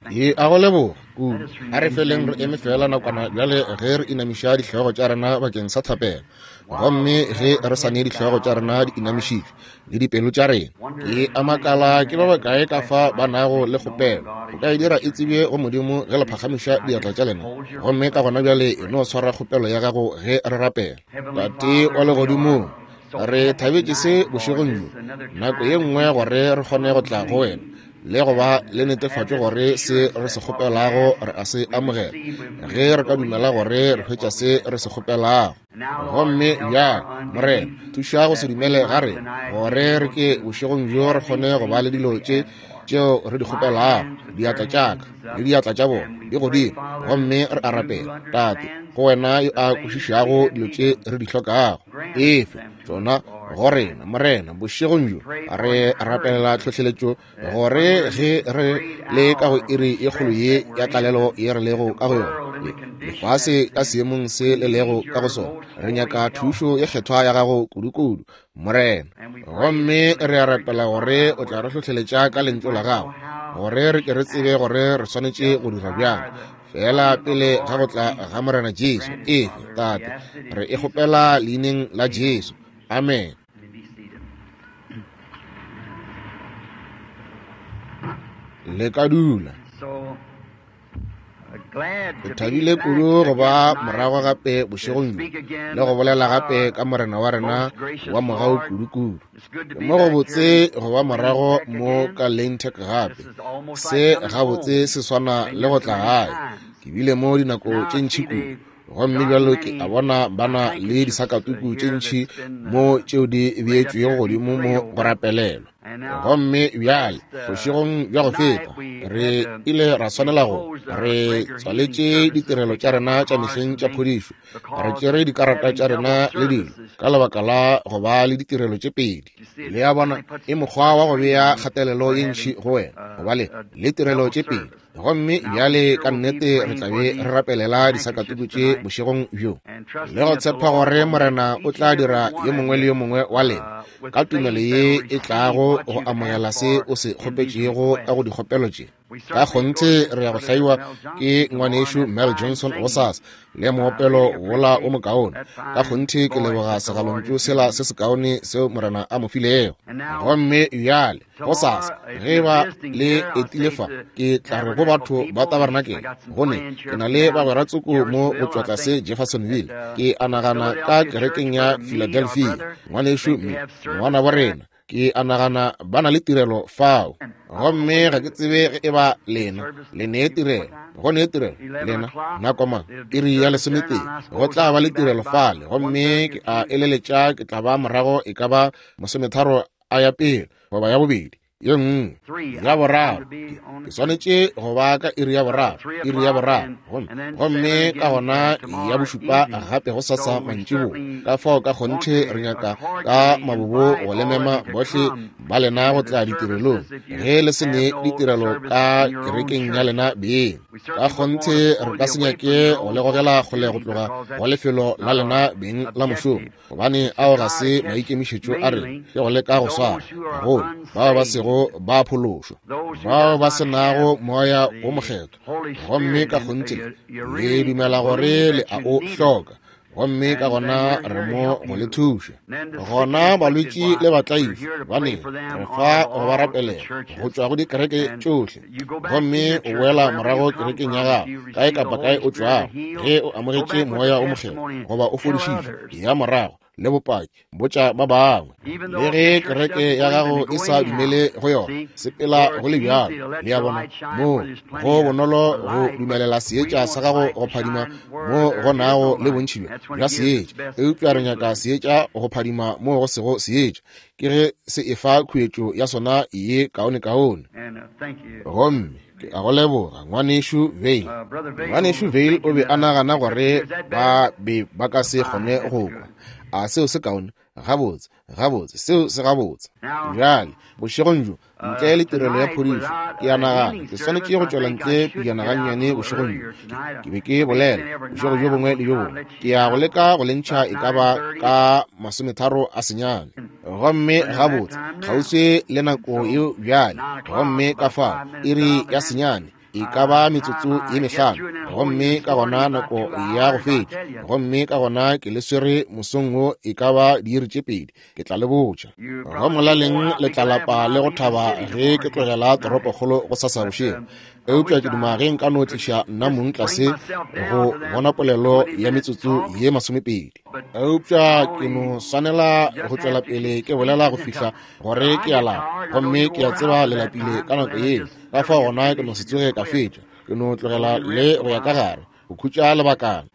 Ke a go leboga kudu. A re feleng re eme feela nakwana bjale ge re inamiša dihlogo tša rena bakeng sa thapelo. Gomme ge re sa ne dihlogo tša rena di inamišitšwe le dipelo tša rena, ke a makala ke ba bakae ka fa ba nago le kgopelo. O ka e dira e tsebje go Modimo ge le phagamiša diatla tša lena. Gomme ka gona bjale e no swara kgopelo ya gago ge re rapela. Tate wa Legodimong, re thabetše se bošegong bjo, nako ye nngwe gore re kgone go tla go wena le go ba le netefatšo gore se re se kgopelago re a se amogela, ge re ka dumela gore re hwetša se re se kgopelago. Gomme bjale, Morena, thuša go se dumele ga rena, gore re ke bošegong bjo re kgone go ba le dilo tše tšeo re di kgopelago. Diatla tša ka le diatla tša bona di godimo, gomme re a rapela, Tate, go wena yo a kwešišago dilo tše re di hlokago, efe tšona go rena, Morena. Bošegong bjo re rapelela tlhohleletšo, gore ge re le ka go iri ye kgolo ye ya tlalelo ye re lego ka go yona, lefase ka seemong se le lego ka go sona, re nyaka thušo ye kgethwa ya gago kudukudu, Morena. Gomme re a rapela gore o tla re hlohleletša ka lentšu la gago, gore re ke re tsebe gore re swanetše go dira bjang feela pele ga go tla ga Morena Jesu. Efe, Tate, re e kgopela leineng la Jesu. Amen. Le ka dula. Ke thabile kudu go ba morago gape bošegong bjo le go bolela gape ka Morena wa rena wa mogau kudu-kudu. Ke mo go botse go ba morago mo ka Lane Tech gape. Se gabotse se swana le go tla gae. Ke bile mo dinako tše ntši kudu, gomme bjalo ke a bona ba na le disakatuku tše ntši mo tšeo di beetšwego godimo mo go rapelelwa. Gomme bjale bošegong bja go feta re ile ra swanela go re tswaletše ditirelo tša rena tša mehleng tša phodišo, re tšere dikarata tša rena le dilo ka lebaka la go ba le ditirelo tše pedi. Le a bona, e mokgwa wa go bea kgatelelo ye ntši go wena go ba le tirelo tše pedi. Gomme bjale ka nnete re tla be re rapelela disakatuku tše bošegong bjo, le go tshepa gore Morena o tla dira yo mongwe le yo mongwe wa lena ka tumelo ye e tlago go amogela se o se kgopetšego ka go dikgopelo tše. Ka kgonthe re ya go hlaiwa ke ngwanešu Mel Johnson gosasa le moopelo wola o mokaone. Ka kgonthe ke leboga segalontšu sela se sekaone seo Morena a mo filego. Gomme bjale gosasa ge ba le etile fa, ke tla re go batho ba tabarenakele, gone ke na le bagwera tsoko mo go tšwa tlase Jeffersonville, ke a nagana ka kerekeng ya Philadelphia, ngwanešu mme ngwana bo rena, ke a nagana ba na le tirelo fao. Gomme ga ke tsebe ge e ba lena le ne tirelo, go ne tirelo lena nako mang, iri ya 11 go tla ba le tirelo fale. Gomme ke a eleletša ke tla ba morago e ka ba 30 a ya pele goba ya bobedi, ye nngwe ya boraro. Ke swanetše go ba ka iri ya boraro, iri ya boraro, gomme ka gona ya bošupa gape go sasa mantšiboa. Ka fao ka kgonthe re nyaka ka mabobo go le mema bohle ba lena go tla ditirelong ge le se ne ditirelo ka kerekeng ya lena beng. Ka kgonthe re ka se nyake go le gogela kgole go tloga go lefelo la lena beng la mošomo, gobane ao ga se maikemišetšo a rena, ke go leka go swara gagolo bao ba sego ba phološwa, bao ba se nago Moya wo Mokgethwa. Gomme ka kgonthe le dumela gore le a o hloka, gomme ka gona re mo go le thuša. Gona balwetši le batlaišwa bane re fa go ba rapelela go tšwa go dikereke tšohle. Gomme o boela morago kerekeng ya gago kae kapa kae o tšwago, ge o amogetše Moya wo Mokgethwa goba o fodišitšwe, ya morago le bopaki, botša ba bangwe. Le ge kereke ya gago e sa dumele go yona, sepela go le bjalo. Le a bona, moo go bonolo go dumelela seetša sa gago go phadima mo go nago le bontši bja seetša, eupša re nyaka seetša go phadima mo go sego seetša, ke ge se efa khuetšo ya sona ye kaonekaone. Gomme ke a go leboga, ngwanešu Vayle. Ngwanešu Vayle o be a nagana gore ba be ba ka se kgone go kwa. A seo se kaone? Gabotse, gabotse, seo se gabotse. Bjale, bošegong bjo, ntle le tirelo ya phodišo, ke a nagana ke swanetše go tšwela ntle pejana gannyane bošegong bjo. Ke be ke bolela bošego bjo bongwe le bjo bongwe, ke ya go leka go le ntšha e ka ba ka 39. Gomme gabotse, kgauswi le nako yeo bjale, gomme ka fao iri ya 9. e ka ba metsotso ye mehlano, gomme ka gona nako ya go fetša, gomme ka gona ke le swere mosong wo e ka ba diiri tše 2, ke tla le botša. Go molaleng le tla lapa le go thaba ge ke tlogela toropokgolo go sasa bošego. Eupša ke duma ge nka no tliša nna mong tlase go bona polelo ya metsotso ye 20. Eupša ke no swanela go tšwela pele ke bolela go fihla gore ke a lapa, gomme ke a tseba le lapile ka nako yeo. Ka fao gona ke no se tsoge ka fetša, ke no tlogela le go ya ka gare go khutša lebakana.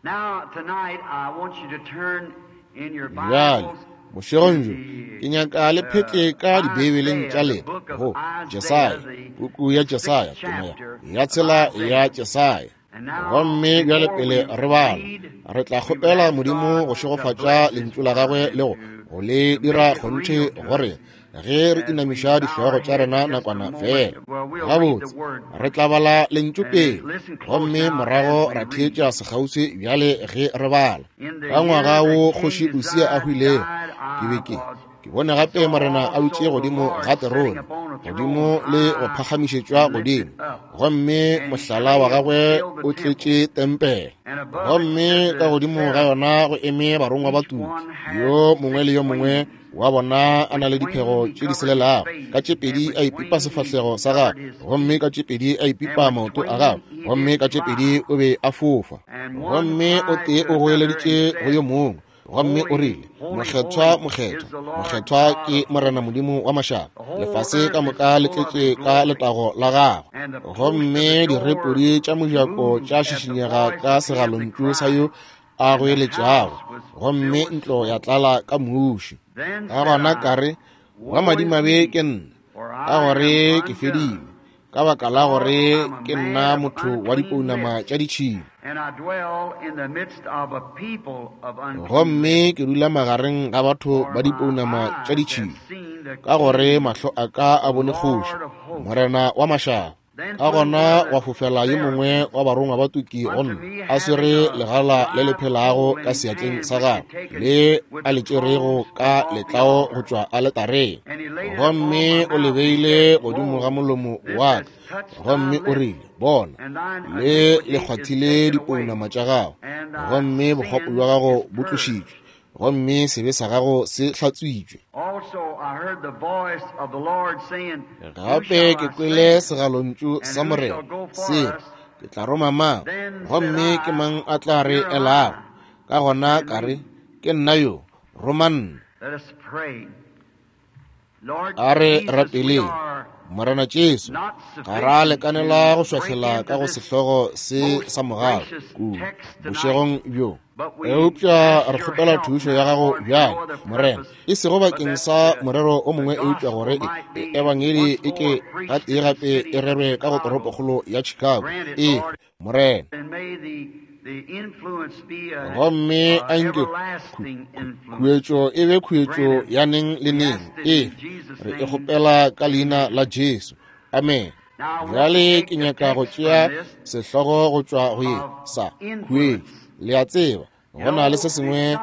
Bjale bošegong bjo ke nyaka le phetle ka dibeibeleng tša lena go Jesaya, puku ya Jesaya, tema ya tshela ya Jesaya. Gomme bjale pele re bala, re tla kgopela Modimo go šegofatša lentšu la gagwe le go le dira kgonthe gore ge re inamiša dihlogo tša rena nakwana fela. Gabotse, re tla bala lentšu pele, gomme morago ra theetša sekgauswi bjale ge re bala. Ka ngwaga wo kgoši Usia a hwilego, ke be ke bone gape Morena a dutše godimo ga terone, godimo le go phagamišetšwa godimo, gomme mohlala wa gagwe o tletše tempele. Gomme ka godimo ga yona go eme barongwa ba tuki, yo mongwe le yo mongwe wa bona a na le diphego tše di selelago, ka tše 2 a ipipa sefahlego sa gagwe, gomme ka tše 2 a ipipa maoto a gagwe, gomme ka tše 2 o be a fofa. Gomme o tee o goeleditše go yo mongwe, gomme o rile, Mokgethwa, mokgethwa, mokgethwa ke Morena Modimo wa mašaba, lefase ka moka le tletše ka letago la gagwe. Gomme direpodi tša mojako tša šišinyega ka segalontšu sa yo a goeletšago, gomme ntlo ya tlala ka muši. Ka gona ka re, wa madimabe ke nna, ka gore ke fedile, ka baka la gore ke nna motho wa dipounama tša ditšhila, gomme ke dula magareng ga batho ba dipounama tša ditšhila, ka gore mahlo a ka a bone kgoši, Morena wa mašaba. Ka gona wa fofela yo mongwe wa barongwa ba tuki go nna, a swere legala le le phelago ka seatleng sa gagwe, le a le tšerego ka letlao go tšwa aletareng, gomme o le beile godimo ga molomo wa ka, gomme o rile, Bona, le le kgwathile dipounama tša gago, gomme bokgopo bja gago bo tlošitšwe, gomme sebe sa gago se hlatswitšwe. Gape ke kwele segalontšu sa Morena se re, Ke tla roma mang, gomme ke mang a tla re elago? Ka gona ka re, Ke nna yo, roma nna. A re rapeleng. Morena Jesu, ga ra lekanela go šwahlela ka go sehlogo se sa mogau kudu bošegong bjo, eupša re kgopela thušo ya gago bjale, Morena, e sego bakeng sa morero o mongwe, eupša gore ebangedi e ke gatee gape e rerwe ka go toropokgolo ya Chicago. E Morena, gomme a nke khuetšo e be khuetšo ya neng le neng. E re e kgopela ka leina la Jesu. Amen. Bjale ke nyaka go tšea sehlogo go tšwa go ye sa khuetšo. Le a tseba, go na le se sengwe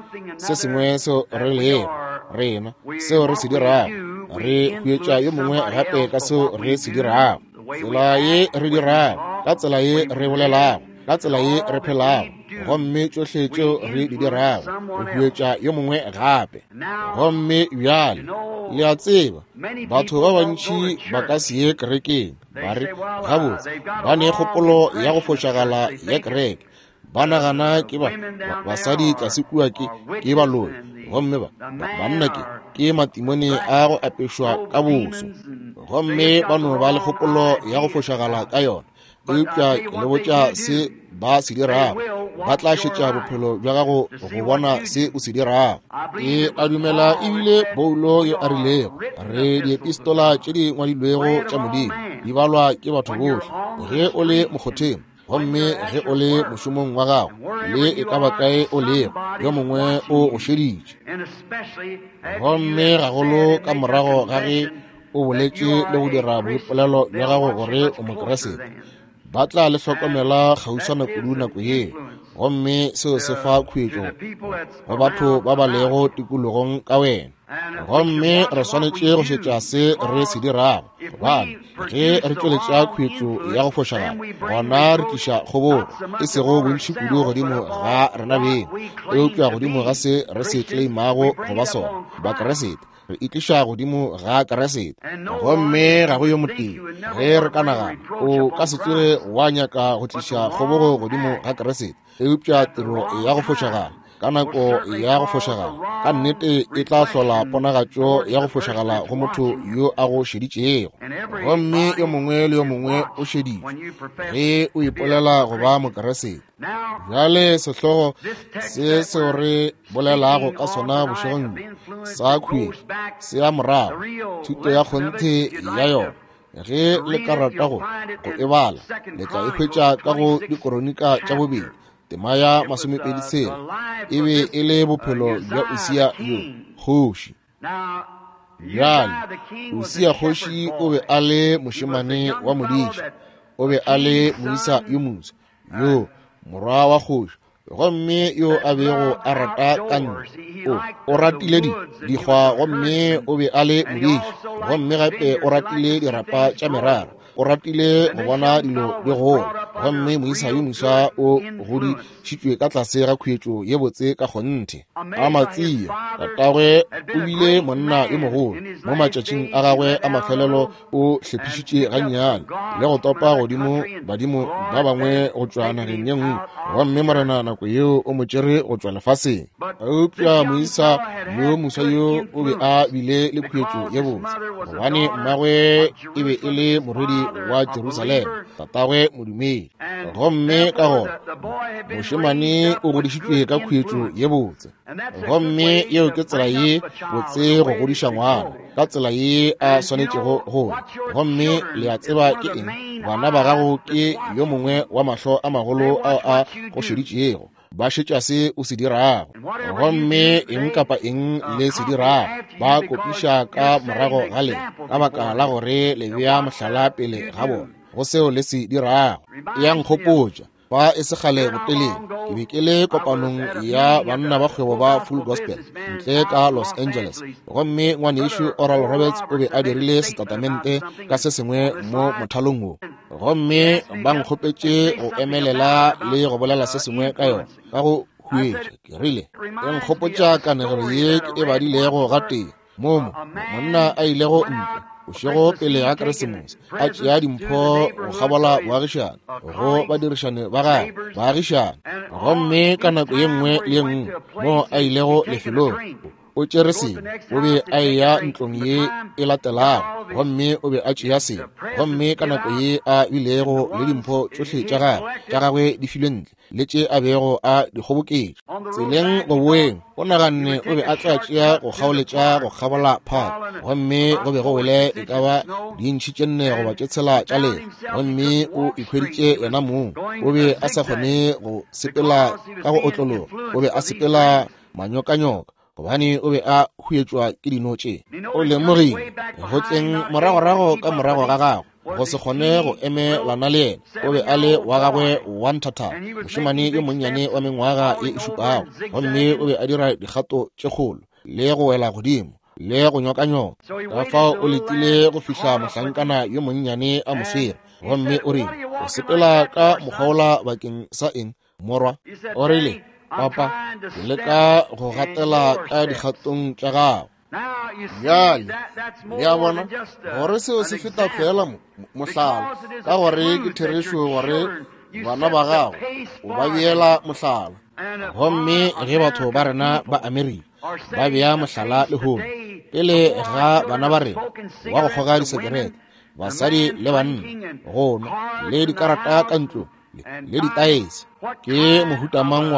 seo re lego rena, seo re se dirago, re huetša yo mongwe gape ka seo re se dirago, tsela ye re dirago, ka tsela ye re bolelago, ka tsela ye re phelago, gomme tšohle tšeo re di dirago, re huetša yo mongwe gape. Gomme bjale le a tseba, batho ba bantši ba ka se ye kerekeng, ba re, gabotse, ba ne kgopolo ya go fošagala ya kereke, ba nagana ke ba basadi tlase kua ke baloi, gomme ba banna ke matimone a go apešwa ka boso, gomme ba no ba le kgopolo ya go fošagala ka yona. Eupša ke le botša se ba se dirago, ba tla šetša bophelo bja gago go bona se o se dirago. Ke a dumela ebile Paulo yo a rilego, re diepistola tše di ngwadilwego tša Modimo di balwa ke batho bohle. Ge o le mokgotheng, gomme ge o le mošomong wa gago, le e ka ba kae o lego, yo mongwe o go šeditše. Gomme gagolo ka morago ga ge o boletše le go dira boipolelo bja gago gore o Mokeresete, ba tla le hlokomela kgauswana kudu nako yeo. Gomme seo se fa khuetšo go batho ba ba lego tikologong ka wena. Gomme re swanetše go šetša se re se dirago, gobane ge re tšweletša khuetšo ya go fošagala, gona re tliša kgobogo, e sego bontši kudu godimo ga rena beng, eupša godimo ga se re se tleimago go ba sona, Bakeresete. Re itliša godimo ga Keresete. Gomme ga go yo motee, ge re ka nagana, o ka se tsoge wa nyaka go tliša kgobogo godimo ga Keresete, eupša tiro ya go fošagala ka nako ya go fošagala ka nnete e tla hlola ponagatšo ya go fošagala go motho yo a go šeditšego. Gomme yo mongwe le yo mongwe o šeditšwe ge o ipolela go ba Mokeresete. Bjale sehlogo se seo re bolelago ka sona bošegong bjo sa khuetšo se ya morago, thuto ya kgonthe ya yona. Ge le ka rata go e bala, le tla e hwetša ka go Dikoronika tša bobedi, tema ya 26. E be e le bophelo bja Usia yo kgoši. Bjale, Usia kgoši o be a le mošemane wa modiši, o be a le moisa yo moswa, yo morwa wa kgoši, gomme yo a bego a rata ka ntle. O ratile dikgwa, gomme o be a le modiši, gomme gape o ratile dirapa tša merara, o ratile go bona dilo di gola. Gomme moisa yo moswa o godišitšwe ka tlase ga khuetšo ye botse ka kgonthe. Amatsia tatagwe o bile monna yo mogolo mo matšatšing a gagwe a mafelelo, o hlephišitše gannyane le go topa godimo badimo ba bangwe go tšwa nageng ye nngwe, gomme Morena nako yeo o mo tšere go tšwa lefaseng. Eupša moisa yo moswa yo o be a bile le khuetšo ye botse, gobane mmagwe e be e le morwedi wa Jerusalema, tatagwe modumedi. Gomme ka gona mošemane o godišitšwe ka khuetšo ye botse, gomme yeo ke tsela ye botse go godiša ngwana, ka tsela ye a swanetšego go. Gomme le a tseba ke eng? Bana ba gago ke yo mongwe wa mahlo a magolo ao a go šeditšego, ba šetša se o se dirago. Gomme eng kapa eng le se dirago, ba kopiša ka morago ga lena, ka baka la gore le bea mohlala pele ga bona go seo le se dirago. Ya nkgopotša, fa e se kgale botelele, ke be ke le kopanong ya banna ba kgwebo ba Full Gospel ntle ka Los Angeles, gomme ngwanešu Oral Roberts o be a dirile setatamente ka se sengwe mo mothalong wo, gomme ba nkgopetše go emelela le go bolela se sengwe ka yona ka go huetša. Ke rile, e nkgopotša kanegelo ye ke e badilego gatee, momo monna a ilego ntle bošego pele ga Keresemose, a tšea dimpho go kgabola boagišane go badirišane ba gagwe baagišane. Gomme ka nako ye nngwe le ye nngwe mo a ilego lefelong, o tšere sengwe, o be a eya ntlong ye e latelago, gomme o be a tšea sengwe. Gomme ka nako ye a bilego le dimpho tšohle tša gagwe di filwe ntle, le tše a bego a di kgoboketša tseleng go boeng, o naganne o be a tla tšea go kgaoletša go kgabola phaka, gomme go be go wele e ka ba dintšhi tše 4 goba tše 6 tša lehlwa, gomme o ikhweditše yena mong o be a sa kgone go sepela ka go otlologa, o be a sepela manyokanyoka, gobane o be a huetšwa ke dino tše. O lemogile go tleng moragorago ka morago ga gagwe go se kgone go emelana le yena, o be a le wa gagwe wa nthathana, mošemane yo monnyane wa mengwaga ye e 7, gomme o be a dira dikgato tše kgolo le go wela godimo le go nyokanyoka. Ka fao o letile go fihla mohlankana yo monnyane a mo swere, gomme o rile, o sepela ka mokgwa bakeng sa eng, morwa? O rile, papa, ke leka go gatela ka dikgatong tša gago. Bjale le a bona gore seo se feta fela mohlala, ka gore ke therešo gore bana ba gago o ba beela mohlala. Gomme ge batho ba rena ba Amerika ba bea mohlala lehono pele ga bana ba rena wa go kgoga disekerete, basadi le banna, go nwa le dikarata ka ntlong le ditaese, ke mohuta mang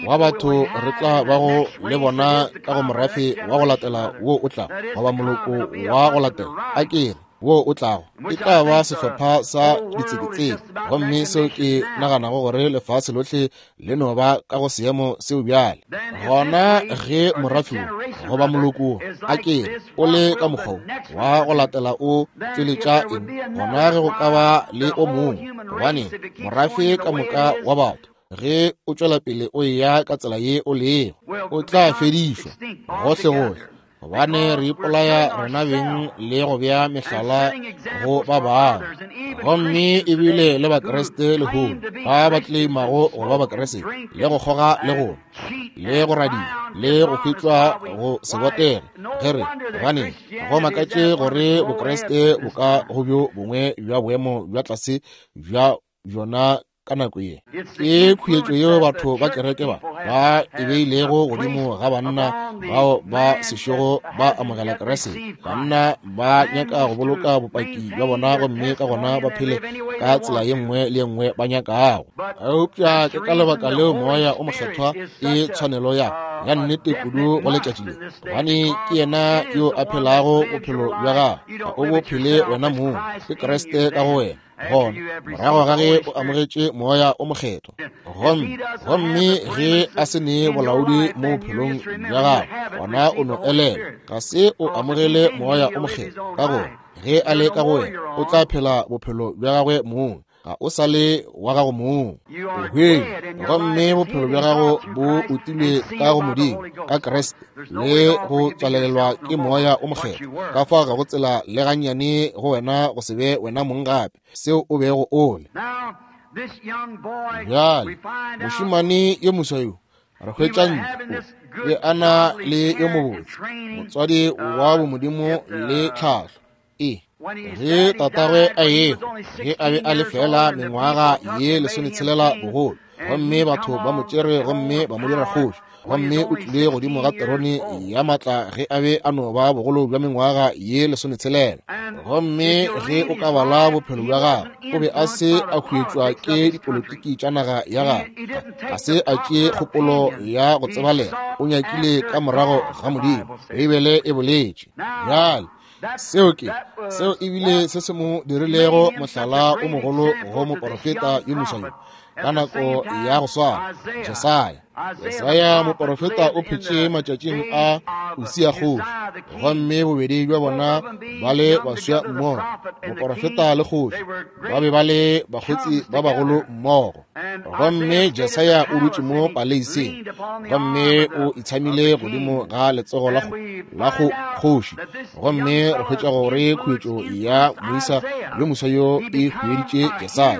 wa batho re tla bago le bona ka go morafe wa go latela wo o tlago, goba moloko wa go latela, a ke re wo o tlago, e tla ba sehlopha sa ditseketseke. Gomme seo ke naganago gore lefase lohle le no ba ka go seemo seo bjale. Gona ge morafe wo goba moloko a ke re o le ka mokgwa wa go latela o tšweletša eng, gona ge go ka ba le o mongwe, gobane morafe ka moka wa batho Ge o tšwela pele o eya ka tsela ye o lego, o tla fedišwa gohlegohle, gobane re ipolaya rena beng le go bea mehlala go ba bangwe. Gomme ebile le Bakriste lehono ba ba tleimago go ba Bakriste, le go kgoga le go le go radia le go hwetšwa go se botege, ge re gobane go makatše gore Bokriste bo ka go bjo bongwe bja boemo bja tlase bja bjona ka nako ye. Ke khuetšo yeo batho ba kereke ba ba e beilego godimo ga banna bao ba sešogo ba amogela Kriste. Banna ba nyaka go boloka bopaki bja bona gomme ka gona ba phele ka tsela ye nngwe le ye nngwe ba nyakago. Eupša ke ka lebaka leo Moya o Mokgethwa e tshwanelo ya ya nnete kudu go letšatši le, gobane ke yena yo a phelago bophelo bja gago, ga o bo phele wena mong, ke Kriste ka go wena. Gona morago ga ge o amogetše Moya o Mokgethwa, gomme ge a se ne bolaodi mo bophelong bja gago, gona o no elelwa ga se o amogele Moya o Mokgethwa, ka gore ge a le ka go wena o tla phela bophelo bja gagwe mong, ga o sa le wa gago mong, o hwele, gomme bophelo bja gago bo utilwe ka go Modimo ka Kriste le go tswalelelwa ke Moya o Mokgethwa. Ka fao ga go tsela le gannyane go wena go se be wena mong gape seo o bego o le. Bjale mošemane yo moswa yo re hwetša ntlo be a na le yo mobotse motswadi wa bomodimo le tlhahlo. E ge tatagwe a ehwa ge a be a le fela mengwaga ye 16 bogolo, gomme batho ba mo tšere gomme ba mo dira kgoši, gomme o tlile godimo ga terone ya maatla ge a be a no ba bogolo bja mengwaga ye 16. Gomme ge o ka bala bophelo bja gagwe, o be a se a huetšwa ke dipolitiki tša naga ya gagwe, ga se a tšee kgopolo ya go tsebalega, o nyakile ka morago ga Modimo, Beibele e boletše bjale. Seo ke seo ebile se se mo dirilego mohlala o mogolo go moporofeta yo moswa yo ka nako ya go swana. Jesaya, Jesaya moporofeta o phetše matšatšing a Usia kgoši, gomme bobedi bja bona ba le baswa mmogo, moporofeta le kgoši ba be ba le bakgotsi ba bagolo mmogo. Gomme Jesaya o dutše mo paleiseng, gomme o itshamile godimo ga letsogo la go kgoši, gomme re hwetša gore khuetšo ya moisa yo moswa yo e hueditše Jesaya.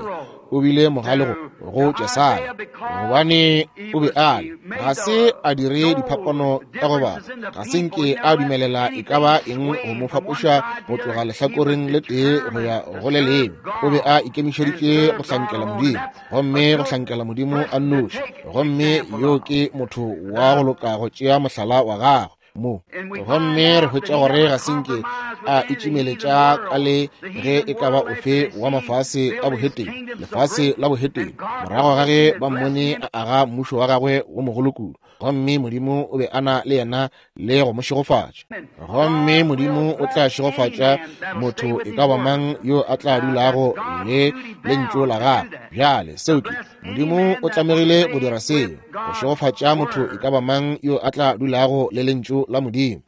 O bile mogale go Jesaya, gobane o be a le ga se a dire diphapano ka go bala, ga se nke a dumelela e ka ba eng go mo fapoša go tloga lehlakoreng le tee go ya go le lengwe. O be a ikemišeditše go hlankela Modimo, gomme go hlankela Modimo a nnoši, gomme yo ke motho wa go loka go tšea mohlala wa gagwe mo. Gomme re hwetša gore ga se nke a itšimeletša ka le ge e ka ba ofe wa mafase a boheteng, lefase la boheteng, morago ga ge ba mmone a aga mmušo wa gagwe wo mogolo kudu, gomme Modimo o be a na le yena le go mo šegofatša. Gomme Modimo o tla šegofatša motho e ka ba mang yo a tla dulago le lentšu la gagwe. Bjale seo ke Modimo o tlamegile go dira seo, go šegofatša motho e ka ba mang yo a tla dulago le lentšu la Modimo.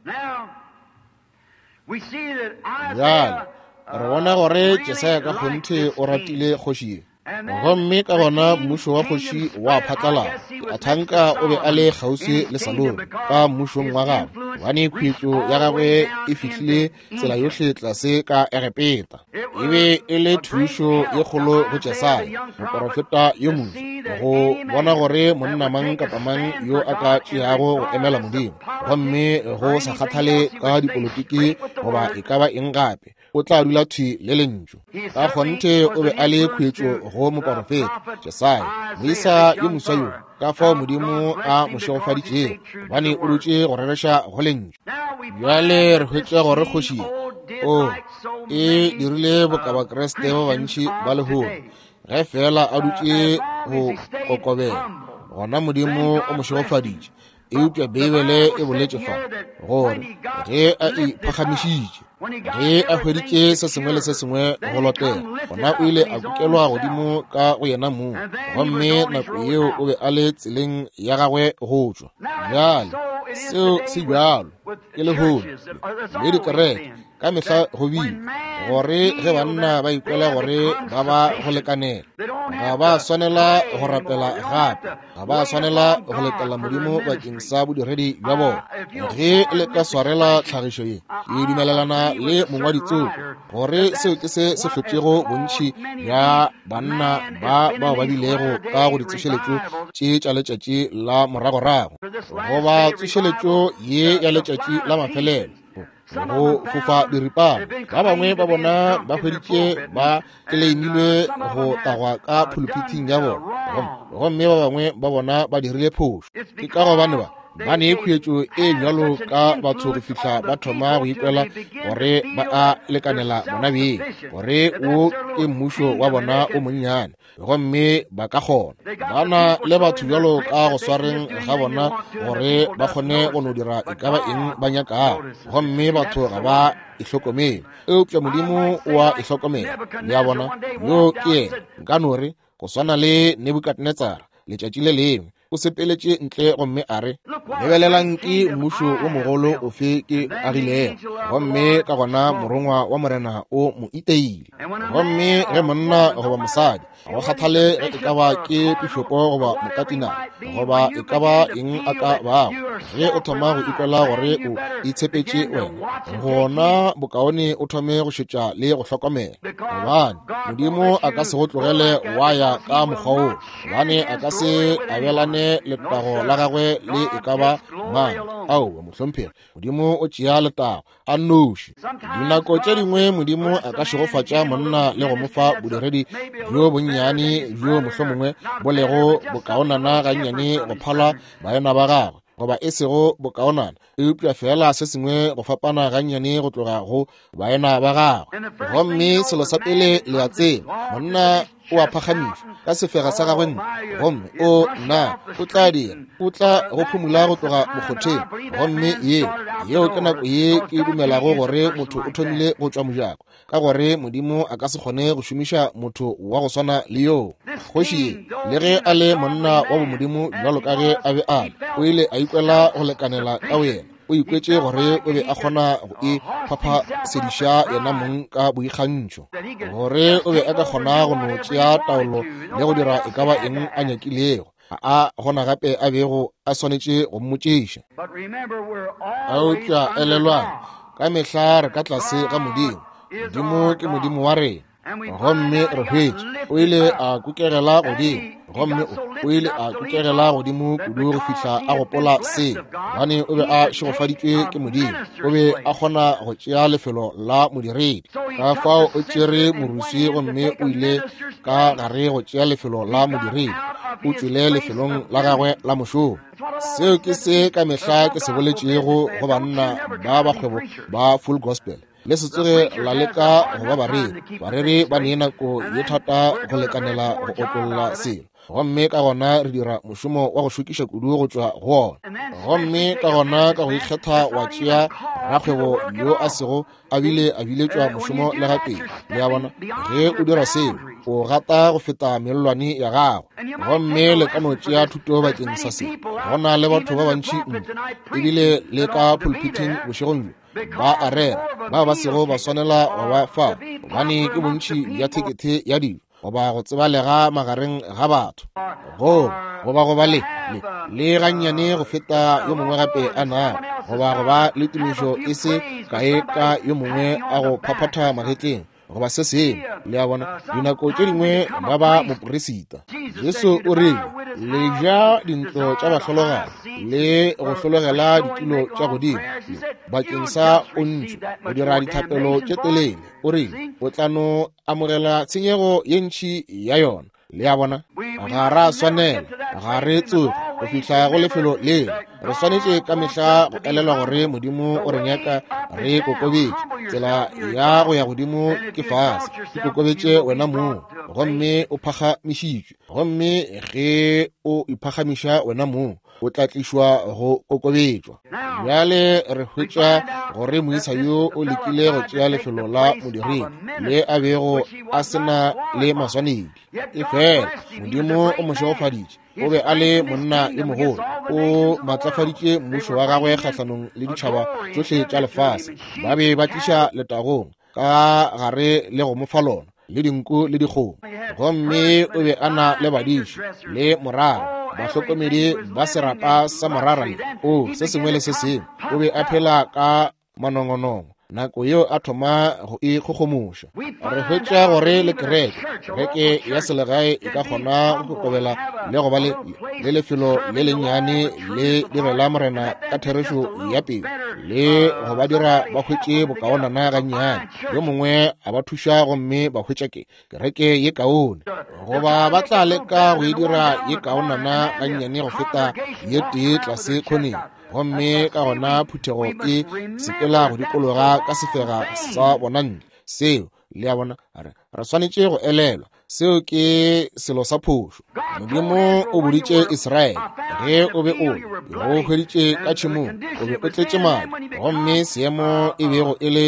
Bjale re bona gore Jesaya ka kgonthe o ratile kgoši ye, gomme ka gona mmušo wa kgoši wa phatlalala. Athanka o be a le kgauswi le Salomo ka mmušong wa gagwe, gobane khuetšo ya gagwe e fihlile tsela yohle tlase ka Egepeta. E be e le thušo ye kgolo go Jesaya moporofeta yo moswa go bona gore monna mang kapa mang yo a ka tšeago go emela Modimo, gomme go sa kgathale ka dipolitiki goba e ka ba eng gape, o tla dula thwi le lentšu. Ka kgonthe o be a le khuetšo go moporofeta Jesaya, moisa yo moswa yo, ka fao Modimo a mo šegofaditšego, gobane o dutše go rereša go lentšu. Bjale re hwetša gore kgoši o e dirile boka Bakriste ba bantši ba lehono, ge fela a dutše go kokobela, gona Modimo o mo šegofaditše. Eupša Beibele e boletše fa gore ge a iphagamišitše, ge a hweditše se sengwe le se sengwe go lotela, gona o ile a kukelwa godimo ka go yena mong, gomme nako yeo o be a le tseleng ya gagwe go tšwa. Bjale seo se bjalo ke lehono le dikereke ka mehla go bile gore ge banna ba ikwela gore ba ba go lekanela, Ga ba swanela go rapela gape, ga ba swanela go letela Modimo bakeng sa bodiredi bja bona. Ge le ka swarela tlhagišo ye, ke dumelelana le mongwaditsoko gore seo ke se se hlotšego bontši bja banna ba bao ba bilego ka go ditsošeletšo tše tša letšatši la moragorago, goba tsošeletšo ye ya letšatši la mafelelo, go fofa diripana. Ba bangwe ba bona ba hweditše ba tleleimilwe go tagwa ka phuluphithing ya bona, gomme ba bangwe ba bona ba dirile phošo. Ke ka gobane ba ne khuetšo e bjalo ka batho go fihla ba thoma go ikwela gore ba a lekanela bona beng, gore wo ke mmušo wa bona o monnyane, gomme ba ka kgona. Ba na le batho bjalo ka go swareng ga bona gore ba kgone go no dira e ka ba eng ba nyakago, gomme batho ga ba e hlokomele. Eupša Modimo o a e hlokomela. Le a bona, yo ke yena. Nka no re, go swana le Nebukadnetsara letšatši le lengwe, o sepeletše ntle gomme a re, lebelelang ke mmušo wo mogolo ofe ke agilego. Gomme ka gona morongwa wa Morena o mo iteile. Gomme ge monna goba mosadi, go kgathale ge e ka ba ke pišopo goba mokatinale goba e ka ba eng a ka bago, ge o thoma go ikwela gore o itshepetše wena, gona bokaone o thome go šetša le go hlokomela, gobane Modimo a ka se go tlogele wa ya ka mokgwa woo, gobane a ka se abelane letago la gagwe le e ka ba mang. Aowa, mohlomphegi, Modimo o tšea letago a nnoši. Dinako tše dingwe Modimo a ka šegofatša monna le go mo fa bodiredi bjo bonnyane bjo mohlomongwe bo lego bokaonana gannyane go phala baena ba gagwe, goba e sego bokaonana, eupša feela se sengwe go fapana gannyane go tloga go baena ba gagwe. Gomme selo sa pele le a tseba, monna o a phagamišwa ka sefega sa gagwe ntle, gomme o nna o tla dira, o tla go phumula go tloga mokgotheng. Gomme yeo ke nako ye ke dumelago gore motho o thomile go tšwa mojako, ka gore Modimo a ka se kgone go šomiša motho wa go swana le yoo. Kgoši ye, le ge a le monna wa bomodimo bjalo ka ge a be a le, o ile a ikwela go lekanela ka boyena. O ikwetše gore o be a kgona go e phaphasedisha yena mong ka boikgantšho, gore o be a ka kgona go no tšea taolo le go dira e ka ba eng a nyakilego. Ga a gona gape a bego a swanetše go mmotšiša. Eupša elelwang, ka mehla re ka tlase ga Modimo. Modimo ke Modimo wa rena. Gomme re hwetše o ile a kukegela godimo, gomme o ile a kukegela godimo kudu go fihla a gopola se, gobane o be a šegofaditšwe ke Modimo. O be a kgona go tšea lefelo la modiredi. Ka fao o tšere moruswi gomme o ile ka gare go tšea lefelo la modiredi. O tšwele lefelong la gagwe la mošomo. Seo ke se ka mehla ke se boletšego go banna ba bakgwebo ba Full Gospel. Le se tsoge la leka go ba bareri. Bareri ba ne nako ye thata go lekanela go otlolla selo, gomme ka gona re dira mošomo wa go šokiša kudu go tšwa go ona. Gomme ka gona ka go ikgetha wa tšea rakgwebo yo a sego a bile a biletšwa mošomo le gatee. Le a bona, ge o dira seo, o gata go feta mellwane ya gago. Gomme le ka no tšea thuto bakeng sa se. Go na le batho ba bantši ebile le ka pulpiting bošegong bjo ba a rera, bao ba sego ba swanela go ba fao, gobane ke bontši bja thekethe ya dijo goba go tsebalega magareng ga batho, goba go ba le le gannyane go feta yo mongwe gape a nago, goba go ba le tumišo e se kae ka yo mongwe a go phaphatha magetleng goba se sengwe. Le a bona, dinako tše dingwe ba ba moperisita. Jesu o rile, le ja dintlo tša bahlologadi le go hlologela ditulo tša godimo bakeng sa pontšho, go dira dithapelo tše telele. O rile, o tla no amogela tshenyego ye ntši ya yona. Le a bona, ga ra swanela, ga re tsoge go fihla go lefelo leo. Re swanetše ka mehla go elelwa gore Modimo o re nyaka re kokobetše. Tsela ya go ya godimo ke fase. Ikokobetše wena mong, gomme o phagamišitšwe. Gomme ge o iphagamiša wena mong, o tla tlišwa go kokobetšwa. Bjale re hwetša gore moisa yo o lekile go tšea lefelo la modiredi le a bego a se na le maswanedi. Efela Modimo o mo šegofaditše, o be a le monna yo mogolo, o matlafaditše mmušo wa gagwe kgahlanong le ditšhaba tšohle tša lefase. Ba be ba tliša letagong ka gare le go mo fa lona. le dinku le dikgomo. Gomme o be a na le badiši le morara, bahlokomedi ba serapa sa morara le o se sengwe le se sengwe. O be a phela ka manongonongo nako yeo a thoma go ikgogomoša. Re hwetša gore le kereke, kereke ya selegae e ka kgona go kokobela le go ba le lefelo le lennyane le direla Morena ka therešo ya pelo, le go ba dira ba hwetše bokaonana gannyane. Yo mongwe a ba thuša gomme ba hwetša ke kereke ye kaone, goba ba tla leka go e dira ye kaonana gannyane go feta ye tee tlase khoneng. Gomme ka gona phuthego e sepela go dikologa ka sefega sa bona ntle. Seo, le a bona, re swanetše go elelwa, seo ke selo sa phošo. Modimo o boditše Israele, ge o be o go hweditše ka tšhemong, o be o tletše madi, gomme seemo e bego e le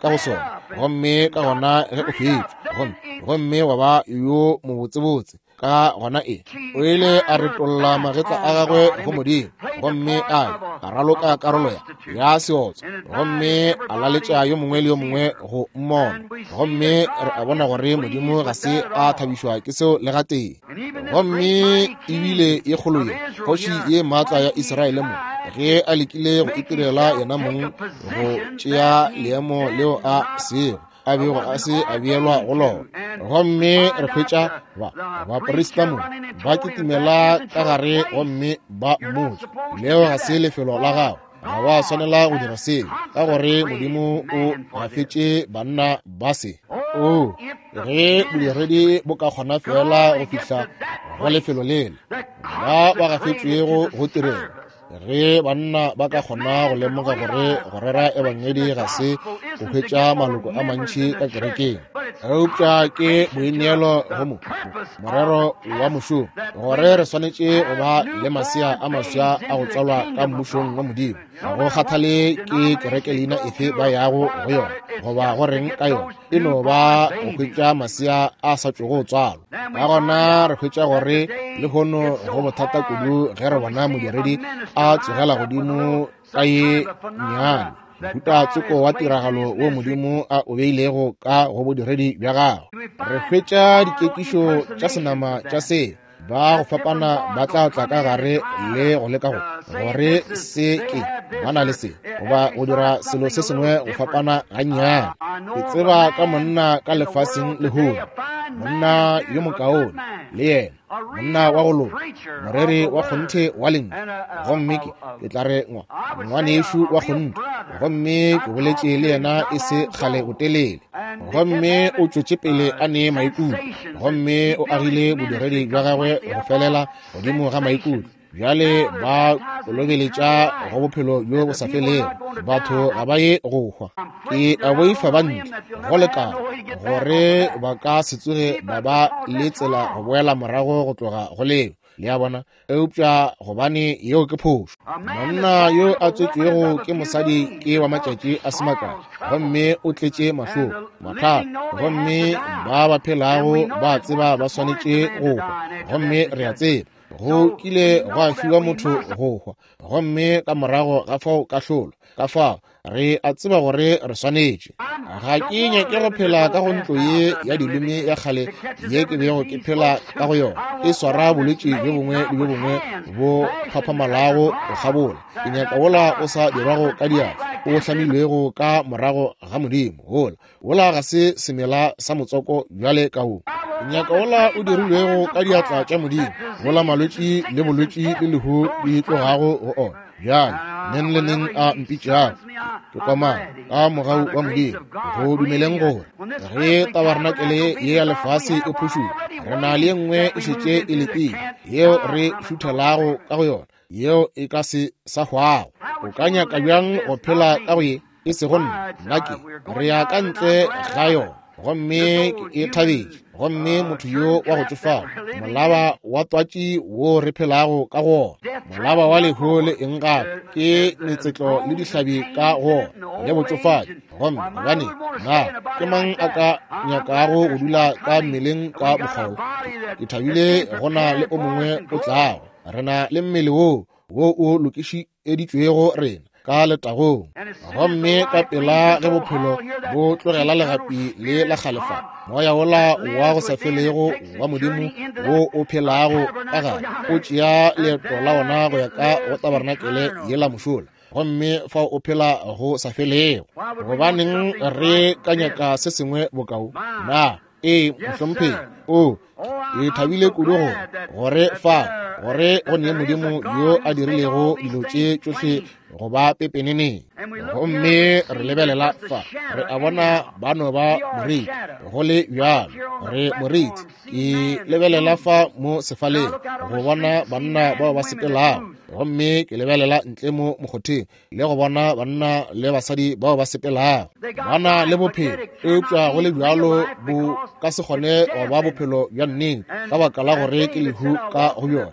ka go sona, gomme ka gona ge o hwetšwe, gomme wa ba yo mobotsebotse, ka gona e o ile a retolla magetla a gagwe go Modimo, gomme a raloka karolo ya seotso, gomme a laletša yo mongwe le yo mongwe go mmona. Gomme re a bona gore Modimo ga se a thabišwa ke seo le gatee. Gomme ebile ye kgolo ye, kgoši ye maatla ya Israele mo, ge a lekile go itirela yena mong go tšea leemo leo a sego a bego a se a beelwa go lona. Gomme re hwetša baprista mo ba kitimela ka gare gomme ba mmotša, leo ga se lefelo la gago, ga wa swanela go dira seo, ka gore Modimo o gafetše banna ba se. O ge bodiredi bo ka kgona fela go fihla go lefelo lele, ba ba gafetšwego go tirelo, ge banna ba ka kgona go lemoga gore go rera ebangedi ga se go hwetša maloko a mantši ka kerekeng, eupša ke boineelo go morero wa mošomo, gore re swanetše go ba le masea a maswa a go tswalwa ka mmušong wa Modimo. Ga go kgathale ke kereke leina efe ba yago go yona goba go reng ka yona, e no ba go hwetša masea a sa tšwego go tswalwa. Ka gona re hwetša gore lehono go bothata kudu ge re bona modiredi a tsogela godimo ka ye nnyane mohuta tsoko wa tiragalo wo Modimo a o beilego ka go bodiredi bja gagwe. Re hwetša dikekišo tša senama tša se ba go fapana ba tla tla ka gare le go leka go gore se ke ba na le se goba go dira selo se sengwe go fapana gannyane. Ke tseba ka monna ka lefaseng lehono, monna yo mokaone le yena, monna wa go loka, moreri wa kgonthe wa lentšu, gomme ke tla re ngwanešu wa kgonthe, gomme ke boletše le yena e se kgale botelele, gomme o tšwetše pele a ne maikutlo, gomme o agile bodiredi bja gagwe go felela godimo ga maikutlo. Bjale ba kolobeletša go bophelo bjo bo sa felego, batho ga ba ye go hwa. Ke a boifa ba ntle go lekana gore ba ka se tsoge ba ba le tsela go boela morago go tloga go leo, le a bona, eupša gobane yeo ke phošo. Monna yo a tswetšwego ke mosadi ke wa matšatši a se makae, gomme o tletše mahloko, mathata, gomme ba ba phelago ba tseba ba swanetše go hwa, gomme re a tseba go kile gwa fiwa motho go hwa, gomme ka morago ga fao kahlolo. Ka fao re a tseba gore re swanetše. Ga ke nyake go phela ka go ntlo ye ya dileme ya kgale ye ke bego ke phela ka go yona, e swara bolwetši bjo bongwe le bjo bongwe bo phaphamalago go kgabola. Ke nyaka wola o sa dirwago ka diatla, o hlamilwego ka morago ga Modimo. Wola ga se semela sa motswako bjale ka wo. Nyaka wola o dirilwego ka diatla tša Modimo, wola malwetši le bolwetši le lehu di tlogago go ona. Bjale neng le neng a mpitšago, ke komana ka mogau wa Modimo go dumeleng gore ge tabarnakele ye ya lefase e phušuga, re na le ye nngwe e šetše e letile yeo re šuthelago ka go yona, yeo e ka se sa hwago. O ka nyaka bjang go phela ka go ye? E sego nna ke re ya ka ntle ga yona, gomme ke e thabetše. Gomme motho yo wa go tšofala, molaba wa twatši wo re phelago ka go ona, molaba wa lehu le eng gape, ke metsetlo le dihlabi ka go ona le botšofadi. Gomme gobane na ke mang a ka nyakago go dula ka mmeleng ka mokgwa wo? Ke thabile go na le o mongwe o tlago. Re na le mmele wo o lokišeditšwego rena. ka letagong. Gomme ka pela ge bophelo bo tlogela legapi le la kgale fa, moya wola wa go sa felego wa Modimo wo o phelago ka gare o tšea leeto la ona go ya ka go tabarenakele yela mošola, gomme fao o phela go sa felego. Gobaneng re ka nyaka se sengwe bokao? Na ee, mohlomphegi. O, ke thabile kudu go gore fa gore go ne Modimo yo a dirilego dilo tše tšohle go ba pepeneneng. Gomme re lebelela fa, re a bona ba no ba moriti, go le bjalo re moriti. Ke lebelela fa mo sefaleng go bona banna bao ba sepelago, gomme ke lebelela ntle mo mokgotheng le go bona banna le basadi bao ba sepelago. Ba na le bophelo, eupša go le bjalo bo ka se kgone go ba bophelo bja nnete ka baka la gore ke lehu ka go bjona.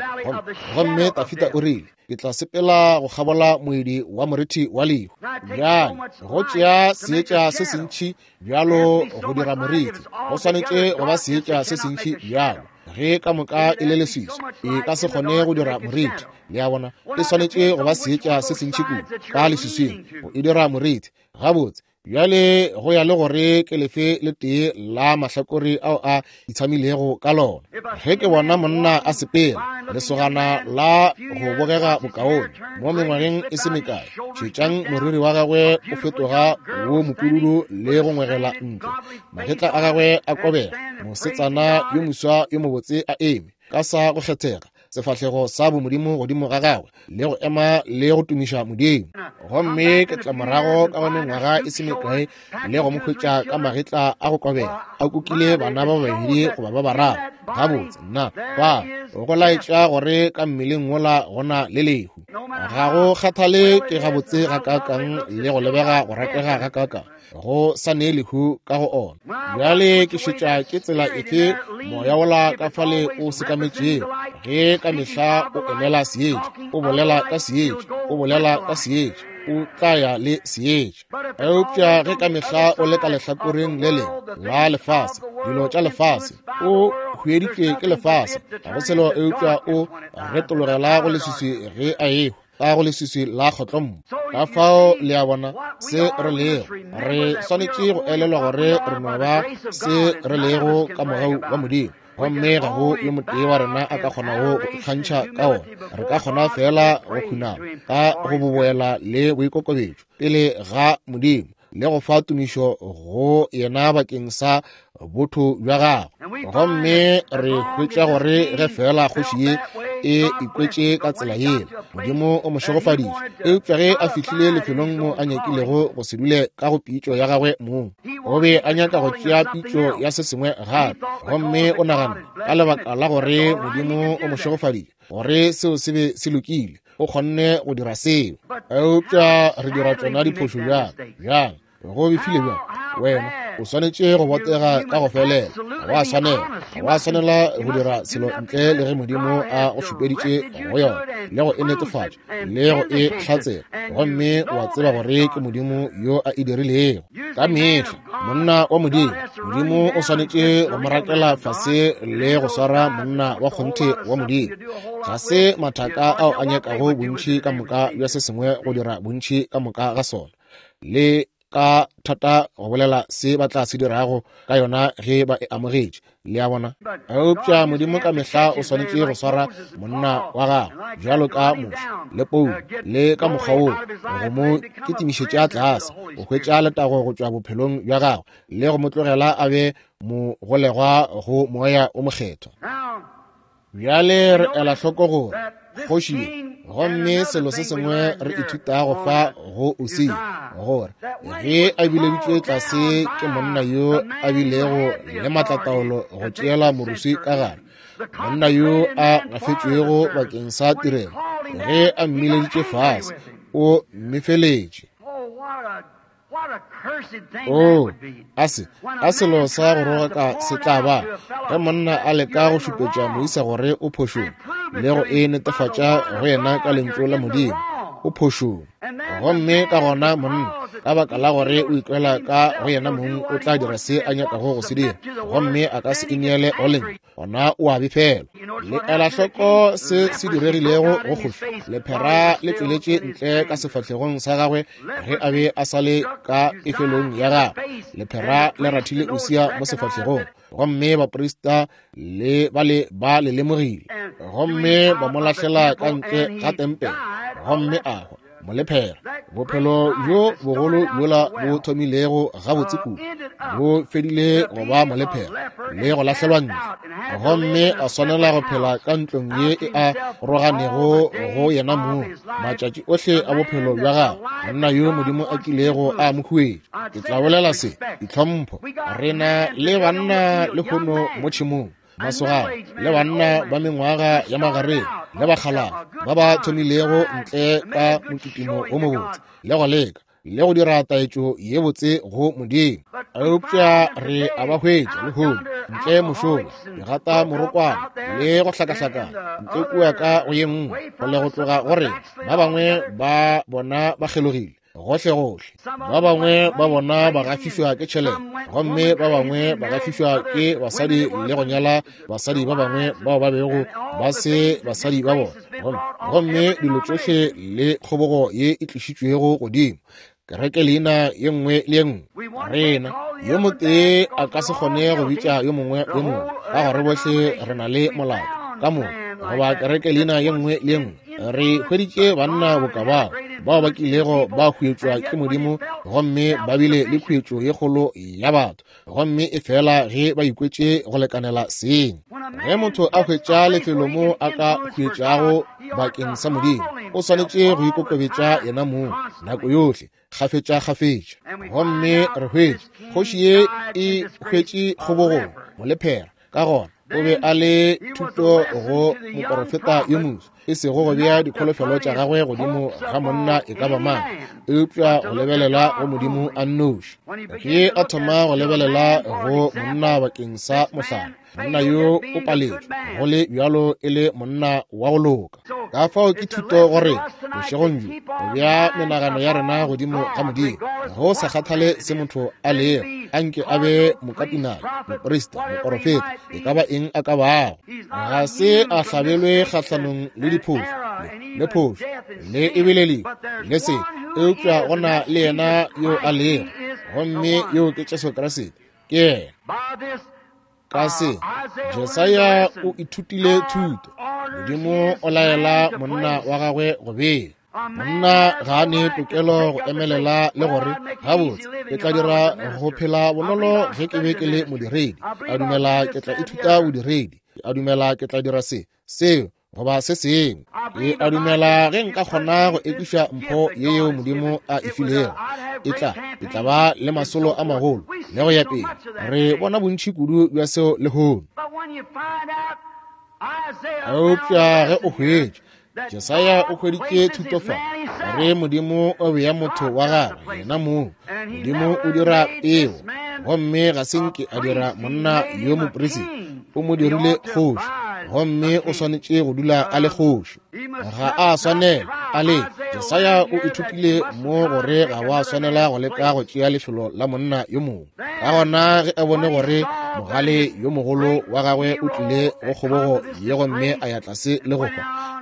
Gomme Tafita o rile, ke tla sepela go kgabola moedi wa morithi wa lehu. Bjale go tšea seetša se sentši bjalo go dira morithi, go swanetše go ba seetša se sentši bjalo. Ge ka moka e le leswiswi, e ka se kgone go dira morithi. Le a bona, e swanetše go ba seetša se sentši kudu ka leswiswing go e dira morithi. Gabotse, bjale go ya le gore ke lefe le tee la mahlakore ao a itshamilego ka lona. Ge ke bona monna a sepela, lesogana la go bogega bokaone mo mengwageng e se mekae, šetšang moriri wa gagwe o fetoga wo mopududu le go ngwegela ntle, magetla a gagwe a kobega, mosetsana yo moswa yo mobotse a eme ka sa go kgethega, sefahlego sa bomodimo godimo ga gagwe, le go ema le go tumiša Modimo. Gomme ke tla morago ka go mengwaga e se mekae le go mo hwetša ka magetla a go kobega, a kukile bana ba babedi goba ba bararo. Gabotse, nna ba go laetša gore ka mmeleng wola go na le lehu. Ga go kgathale ke gabotse gakaakang le go lebega go ratega gakaakang, go sa ne lehu ka go ona. Bjale ke šetša ke tsela efe moya wola ka fale o sekametšego, ge ka mehla o emela seetša, o bolela ka seetša, o bolela ka seetša, o tla ya le seetša. Eupša ge ka mehla o le ka lehlakoreng le lengwe la lefase, dilo tša lefase, o hweditšwe ke lefase, ga go selo eupša o retologela go leswiswi ge a ehwa ka go leswiswi la kgotlommo. Ka fao le a bona se re lego, re swanetše go elelwa gore re no ba se re lego ka mogau wa Modimo, gomme ga go yo motee wa rena a ka kgonago go ikgantšha ka ona. Re ka kgona fela go khunama ka go boboela le boikokobetšo pele ga Modimo le go fa tumišo go yena bakeng sa botho bja gagwe. Gomme re hwetša gore ge fela kgoši ye e ikwetše ka tsela yela, Modimo o mo šegofaditše. Eupša ge a fihlile lefelong mo a nyakilego go se dule ka go pitšo ya gagwe mong, o be a nyaka go tšea pitšo ya se sengwe gape, gomme o nagana ka lebaka la gore Modimo o mo šegofaditše gore seo se be se lokile, o kgonne go dira seo. Eupša re dira tšona diphošo bjang? Bjang go befile bjang? Wena o swanetše go botega ka go felela. Wa swanela, wa swanela go dira selo ntle le ge Modimo a go šupeditše go yona le go e netefatša le go e hlatsela, gomme wa tseba gore ke Modimo yo a e dirilego. Ka mehla monna wa Modimo, Modimo o swanetše go mo rakela fase le go swara monna wa kgonthe wa Modimo. Ga se mathaka ao a nyakago bontši ka moka bja se sengwe go dira bontši ka moka ga sona, le ka thata go bolela se ba tla se dirago ka yona ge ba e amogetše. Le a bona? Eupša Modimo ka mehla o swanetše go swara monna wa gagwe bjalo ka Moshe le Paulo le ka mokgwa woo, go mo kitimišetša tlase, go hwetša letago go tšwa bophelong bja gagwe le go mo tlogela a be mogolegwa go Moya o Mokgethwa. Bjale re ela hloko gore kgoši ye, gomme selo se sengwe re ithutago fa go Usia, gore ge a bileditšwe tlase ke monna yo a bilego le maatlataolo go tšeela moruswi ka gare, monna yo a gafetšwego bakeng sa tirelo, ge a mmileditše fase, o mmefeletše. Oh, a se a selo sa go rogaka se tla ba ge monna a leka go šupetša moisa gore o phošong le go e netefatša go yena ka lentšu la Modimo, o phošong. Gomme ka gona monna, ka baka la gore o ikwela ka go yena mong, o tla dira se a nyakago go se dira, gomme a ka se ineele go lentšu, gona o a befelwa. Le ela hloko se se diregilego go kgoši. Lephera le tšweletše ntle ka sefahlegong sa gagwe ge a be a sa le ka pefelong ya gagwe. Lephera le rathile Usia mo sefahlegong, gomme baprista le ba le ba le lemogile, gomme ba mo lahlela ka ntle ga tempele, gomme a hwa. Molephera, bophelo bjo bogolo bjola bo thomilego gabotse kudu bo fedile go ba molephera le go lahlelwa ntle, gomme a swanela go phela ka ntlong ye e a roganego go yena mong matšatši ohle a bophelo bja gagwe, monna yo Modimo a kilego a mo huetša. Ke tla bolela se, ditlhompho. Re na le banna lehono mo tšhemong, masogana le banna ba mengwaga ya magareng le bakgalabje ba ba thomilego ntle ka mokitimo wo mobotse le go leka le go dira taetšo ye botse go Modimo, eupša re a ba hwetša lehono ntle mošola, digata morokwana le go hlakahlakana ntle kua ka go ye nngwe go le go tloga go rena. Ba bangwe ba bona ba kgelogile gohlegohle, ba bangwe ba bona ba gafišwa ke tšhelete, gomme ba bangwe ba gafišwa ke basadi le go nyala basadi ba bangwe bao ba bego ba se basadi ba bona. Gomme dilo tšohle le kgobogo ye e tlišitšwego godimo kereke leina ye nngwe le ye nngwe. Rena yo motee a ka se kgone go bitša yo mongwe yo mongwe, ka gore bohle re na le molato ka moka, goba kereke leina ye nngwe le ye nngwe. Re hweditše banna boka bao bao ba kilego ba huetšwa ke Modimo, gomme ba bile le khuetšo ye kgolo ya batho, gomme e fela ge ba ikwetše go lekanela seng. Ge motho a hwetša lefelo mo a ka huetšago bakeng sa Modimo, o swanetše go ikokobetša yena mong nako yohle, kgafetša-kgafetša. Gomme re hwetše kgoši ye e hwetše kgobogong molephera, ka gona o be a le thuto go moporofeta yo moswa, e sego go bea dikholofelo tša gagwe godimo ga monna e ka ba mang, eupša go lebelela go Modimo a nnoši. Ge a thoma go lebelela go monna bakeng sa mohlala, monna yo o paletšwe go le bjalo e le monna wa go loka. Ka fao ke thuto gore bošegong bjo go bea menagano ya rena godimo ga Modimo, go sa kgathale se motho a lego, anke a be mokatinale, moprista, moporofeta, e ka ba eng a ka bago. Ga se a hlabelwe kgahlanong le diphošo le phošo le ebile lehu le se, eupša go na le yena yo a lego, gomme yo ke Jesu Kriste. Ke yena. Ka se, Jesaya o ithutile thuto. Modimo o laela monna wa gagwe go bea. Monna ga a ne tokelo go emelela le gore, gabotse, ke tla dira go phela bonolo ge ke be ke le modiredi. A dumela ke tla ithuta bodiredi. A dumela ke tla dira se, seo, goba se sengwe. Ke a dumela ge nka kgona go ekiša mpho ye yeo Modimo a e filego, e tla ba le masolo a magolo le go ya pele. Re bona bontši kudu bja seo lehono. Eupša ge o hwetša, Jesaya o hweditše thuto fa, gore Modimo o bea motho wa gagwe yena mong. Modimo o dira peo, gomme ga se nke a dira monna yo moprista, o mo dirile kgoši, gomme o swanetše go dula a le kgoši. Ga a swanela a le. Jesaya o ithutile mo gore ga wa swanela go leka go tšea lefelo la monna yo mongwe. Ka gona ge a bone gore mogale yo mogolo wa gagwe o tlile go kgobogo ye gomme a ya tlase le go hwa,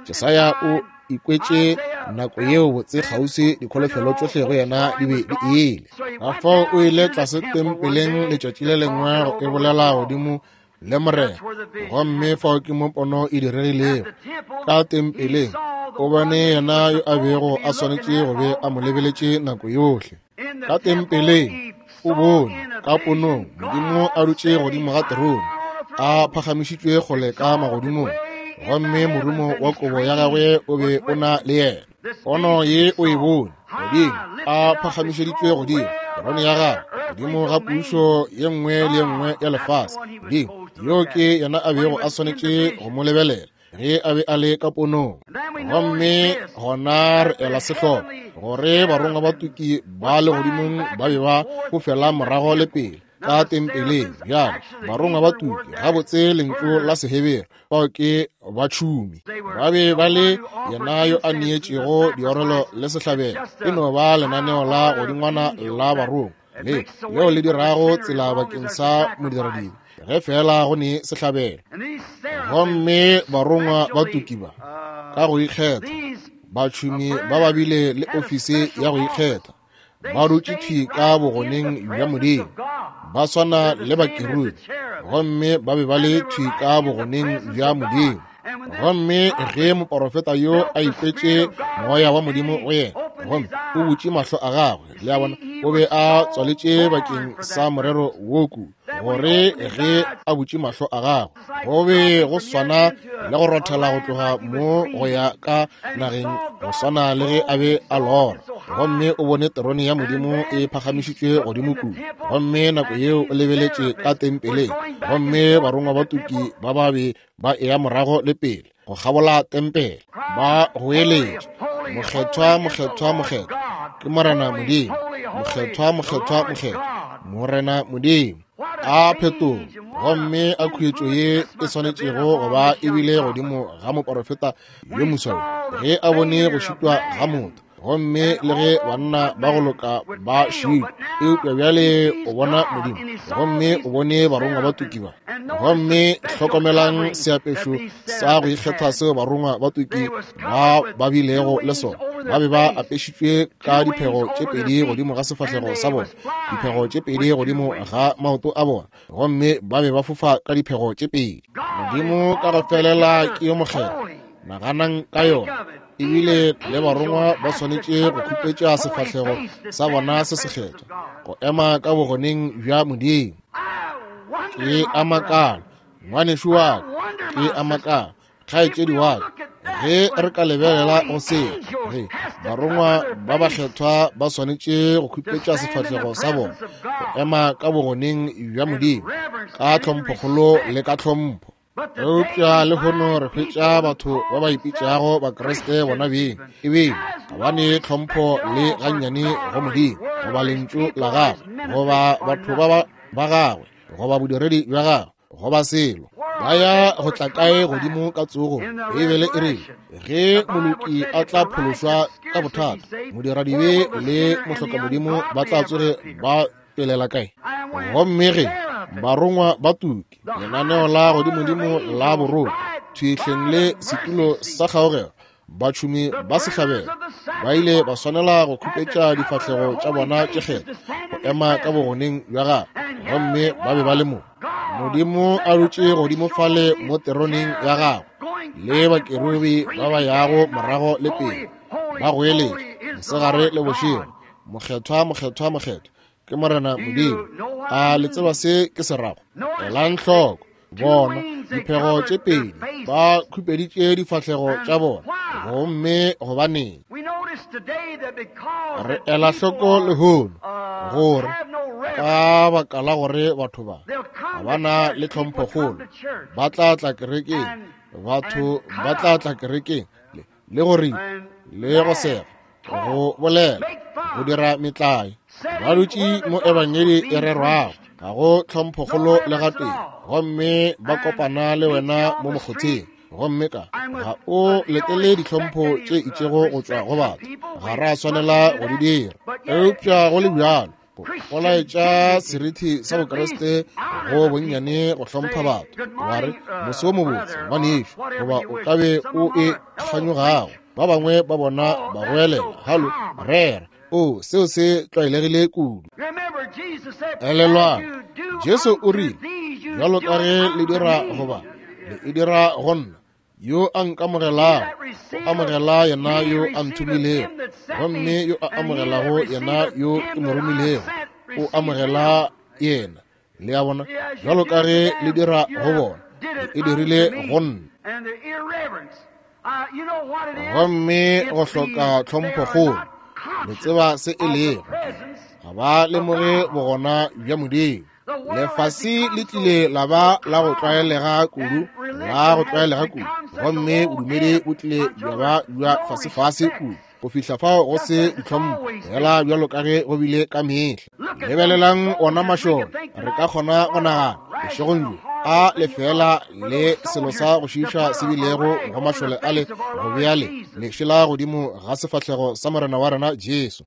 Jesaya o ikwetše nako yeo botse kgauswi dikholofelo tšohle go yena di be di ile. Ka fao o ile tlase tempeleng letšatši le lengwe go e bolela godimo le Morena, gomme fao ke mo pono e diregilego. Ka tempeleng o bone yena yo a bego a swanetše go be a mo lebeletše nako yohle. Ka tempeleng o bone ka ponong Modimo a dutše godimo ga terone, a phagamišitšwe kgole ka magodimong, gomme morumo wa kobo ya gagwe o be o na le yena. Pono ye o e bone godimo, a phagamišeditšwe godimo terone ya gagwe, godimo ga pušo ye nngwe le ye nngwe ya lefase. Modimo yo ke yena a bego a swanetše go mo lebelela ge a be a le ka ponong. Gomme gona re ela sehloko gore barongwa ba tuki ba legodimong ba be ba fofela morago le pele ka tempeleng. Bjale barongwa ba tuki, gabotse lentšu la Sehebere, bao ke batšhumi, ba be ba le yena yo a neetšego diorelo le sehlabelo. E no ba lenaneo la godingwana la barongwa le leo le dirago tsela bakeng sa modiradibe. Ge feela go ne sehlabelo. Gomme barongwa ba tuki ba, ka go ikgetha, batšhomi ba ba bile le ofisi ya go ikgetha, ba dutše thwi ka bogoneng bja Modimo, ba swana le bakerubi, gomme ba be ba le thwi ka bogoneng bja Modimo. Gomme ge moporofeta yo a ikwetše moya wa Modimo go yena, gomme o butše mahlo a gagwe, le a bona, o be a tswaletše bakeng sa morero wo kudu, gore ge a butše mahlo a gagwe, go be go swana le go rothela go tloga mo go ya ka nageng, go swana le ge a be a lora. Gomme o bone terone ya Modimo e phagamišitšwe godimo kudu, gomme nako yeo o lebeletše ka tempeleng, gomme barongwa ba tuki ba ba be ba eya morago le pele go kgabola tempele, ba goeletša, Mokgethwa, mokgethwa, mokgethwa ke Morena Modimo, mokgethwa, mokgethwa, mokgethwa, Morena Modimo. A phetogo gomme a khuetšo ye e swanetšego go ba e bile godimo ga moporofeta yo moswa yo, ge a bone go šitwa ga motho, gomme le ge banna ba go loka ba šitwa, eupša bjale o bona Modimo, gomme o bone barongwa ba tuki ba. Gomme hlokomelang seapešo sa go ikgetha seo barongwa ba tuki ba ba bilego le sona. Ba be ba apešitšwe ka diphego tše pedi godimo ga sefahlego sa bona, diphego tše pedi godimo ga maoto a bona, gomme ba be ba fofa ka diphego tše pedi. Modimo ka go felela ke yo mokgethwa. Naganang ka yona. Ebile le barongwa ba swanetše go khupetša sefahlego sa bona se sekgethwa, go ema ka bogoneng bja Modimo. Ke a makala, ngwanešu wa ka, ke a makala, kgaetšedi wa ka, ge re ka lebelela go seo, ge barongwa ba bakgethwa ba swanetše go khupetša sefahlego sa bona, go ema ka bogoneng bja Modimo, ka tlhomphokgolo le ka tlhompho. Eupša lehono re hwetša batho ba ba ipitšago Bakriste bona beng, ebile ga ba ne tlhompho le gannyane go Modimo, goba lentšu la gagwe, goba batho ba gagwe, goba bodiredi bja gagwe, goba selo. Ba ya go tla kae godimo ka tsogong? Beibele e rile, ge moloki a tla phološwa ka bothata, modiradibe le mohlokamodimo ba tla tsoge ba tšwelela kae? Gomme ge barongwa ba tuki, lenaneo la godimodimo la borongwa, thwihleng le setulo sa kgaogelo, batšhomi ba sehlabelo ba ile ba swanela go khupetša difahlego tša bona tše kgethwa go ema ka bogoneng bja gagwe, gomme ba be ba le mo. Modimo a dutše godimo fale mo teroneng ya gagwe, le bakerubi ba ba yago morago le pele, ba goeletša mosegare le bošego, Mokgethwa, mokgethwa, mokgethwa ke Morena Modimo. A le tseba se ke se rago? Elang hloko, bona diphego tše pedi ba khupeditše difahlego tša bona, gomme gobaneng? Re ela hloko lehono gore ka baka la gore batho ba ga ba na le tlhomphokgolo, ba tla tla kerekeng, batho ba tla tla kerekeng le go ripa le go sega, go bolela, go dira metlae, ba dutše mo ebangedi e rerwago, ga go tlhomphokgolo le gatee, gomme ba kopana le wena mo mokgotheng, gomme ka ga o letele ditlhompho tše itšego go tšwa go batho, ga ra swanela go di dira. Eupša go le bjalo, go laetša serithi sa Bokriste go bonnyane go hlompha batho, wa re, Moso wo mobotse, ngwanešu, goba o ka be o e kganyogago. Ba bangwe ba bona ba goelela, Halo, rera. O, seo se tlwaelegile kudu. Elelwang, Jesu o rile, Bjalo ka ge le dira goba le e dira go nna, yo a nkamogelago o amogela yena yo a nthomilego, gomme yo a amogelago yena yo ke mo romilego o amogela yena. Le a bona, bjalo ka ge le dira go bona, le e dirile go nna. Gomme go hloka tlhomphokgolo, le tseba se e lego, ga ba lemoge bogona bja Modimo. Lefase le tlile la ba la go tlwaelega kudu, la go tlwaelega kudu, gomme bodumedi bo tlile bja ba bja fasefase kudu, go fihla fao go se ditlhompho, fela bjalo ka ge go bile ka mehla. Lebelelang ona mašole, re ka kgona go nagana bošegong bjo. A lefela le selo sa go šiiša se bilego go mašole ale go bea le lešela godimo ga sefahlego sa Morena wa rena Jesu,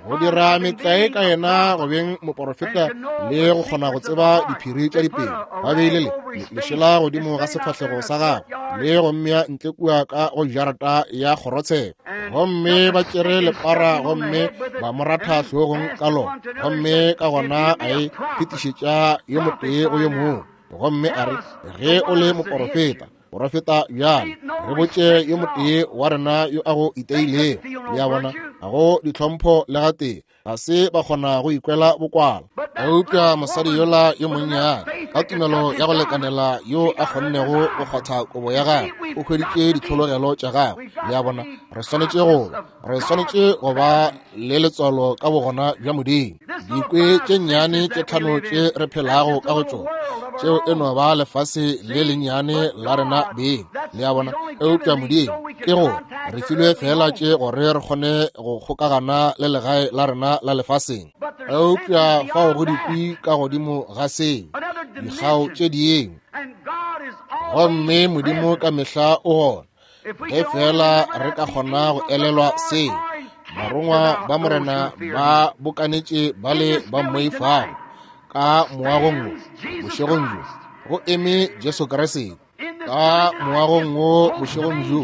go dira metlae ka yena go beng moporofeta le go kgona go tseba diphiri tša dipelo. Ba beile le lešela godimo ga sefahlego sa gagwe le go mmea ntle kua ka go jarata ya kgorotsheko, gomme ba tšere lepara gomme ba mo ratha hlogong ka lona, gomme ka gona a e fetišetša yo motee go yo mongwe, gomme a re, Ge o le moporofeta, porofeta bjale, re botše yo motee wa rena yo a go iteilego. Le a bona, ga go ditlhompho le gatee, ga se ba kgona go ikwela bokwala. Eupša mosadi yola yo monnyane ka tumelo ya go lekanela yo a kgonnego go kgwatha kobo ya gagwe, o hweditše ditlhologelo tša gagwe. Le a bona, re swanetše go re swanetše go ba le letswalo ka bogona bja Modimo. Dikwe tše nnyane tše tlhano tše re phelago ka go tšona, tšeo e no ba lefase le lennyane la rena beng. Le a bona? Eupša Modimo ke gore re filwe fela tše gore re kgone go kgokagana le legae la rena la lefaseng. Eupša fao go dikwi ka godimo ga seo, dikgao tše dingwe, gomme Modimo ka mehla o gona. Ge fela re ka kgona go elelwa seo, barongwa ba Morena ba bokanetše ba le ba mmoifago ka moagong wo bošegong bjo, go eme Jesu Kriste. Ka moagong wo bošegong bjo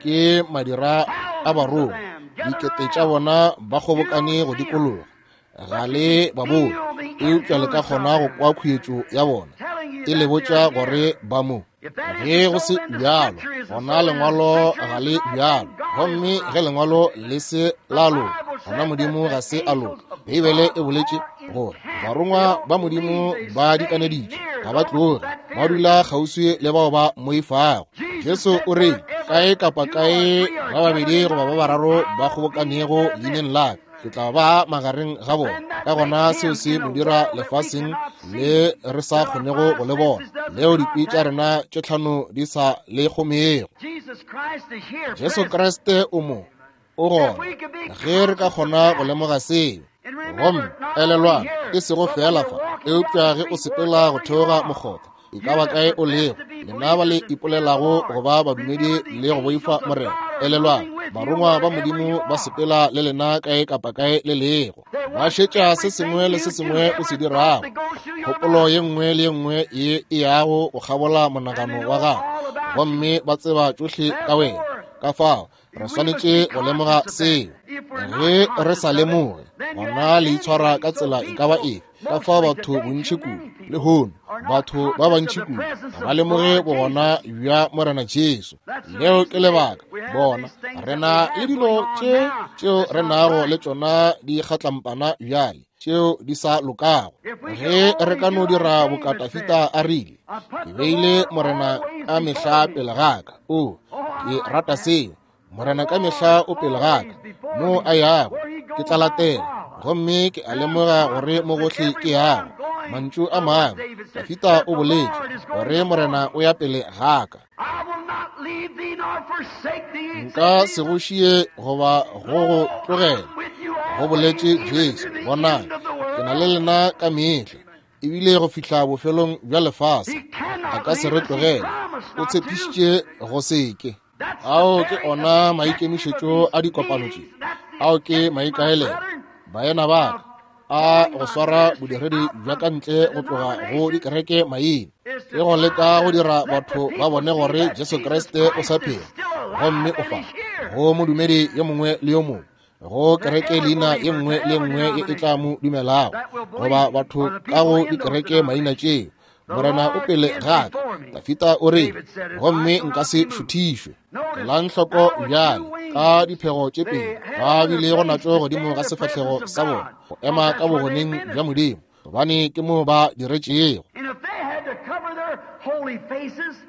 ke madira a barongwa, dikete tša bona ba kgobokane go dikologa. Ga le ba bone, eupša le ka kgona go kwa khuetšo ya bona e le botša gore ba mo. Ge go se bjalo, gona lengwalo ga le bjalo, gomme ge lengwalo le se la loka, gona Modimo ga se a loka. Beibele e boletše gore barongwa ba Modimo ba dikaneditše, ga ba tloge, ba dula kgauswi le bao ba mmoifago. Jesu o re, kae kapa kae ba babedi goba ba bararo ba kgobokanego leineng la ka, ke tla ba magareng ga bona. Ka gona seo se mo dira lefaseng le re sa kgonego go le bona, leo dikwi tša rena tše tlhano di sa le kgomego. Jesu Kriste o mo, o gona, ge re ka kgona go lemoga seo. Gomme elelwang, e sego fela fa, eupša ge o sepela go theoga mokgotha, e ka ba kae o lego, lena ba le ipolelago go ba badumedi le go boifa Morena, elelwang, barongwa ba Modimo ba sepela le lena kae kapa kae le lego. Ba šetša se sengwe le se sengwe o se dirago, kgopolo ye nngwe le ye nngwe ye e yago go kgabola monagano wa gago, gomme ba tseba tšohle ka wena. Ka fao re swanetše go lemoga seo. Ge re sa lemoge, gona le itshwara ka tsela e ka ba efe. Ka fao batho bontši kudu lehono, batho ba bantši kudu ga ba lemoge bogona bja Morena Jesu. Leo ke lebaka bona re na le dilo tše tšeo re nago le tšona di kgatlampana bjale, tšeo di sa lokago. Ge re ka no dira boka Dafida a rile, ke beile Morena ka mehla pele ga ka. O, ke rata seo. Morena ka mehla o pele ga ka, mo a yago ke tla latela, gomme ke a lemoga gore mo gohle ke yago. Mantšu a mangwe, Dafida o boletše gore Morena o ya pele ga ka. Nka se go šie goba go go tlogela, go boletše Jesu. Bonang, ke na le lena ka mehla, ebile go fihla bofelong bja lefase. A ka se re tlogele, o tshepišitše go se ke. Ao ke ona maikemišetšo a dikopano tše, ao ke maikaelelo, baena ba ka, a go swara bodiredi bja ka ntle go tloga go dikereke maina, ke go leka go dira batho ba bone gore Jesu Kriste o sa phela gomme o fa go modumedi yo mongwe le yo mongwe, go kereke leina ye nngwe le nngwe ye e tla mo dumelago, goba batho ka go dikereke maina tšeo. Morena o pele ga ka, Dafida o re, gomme nka se šuthišwe. Elang hloko bjale ka diphego tše pedi ba bilego natšo godimo ga sefahlego sa bona, go ema ka bogoneng bja Modimo, gobane ke mo ba diretšego.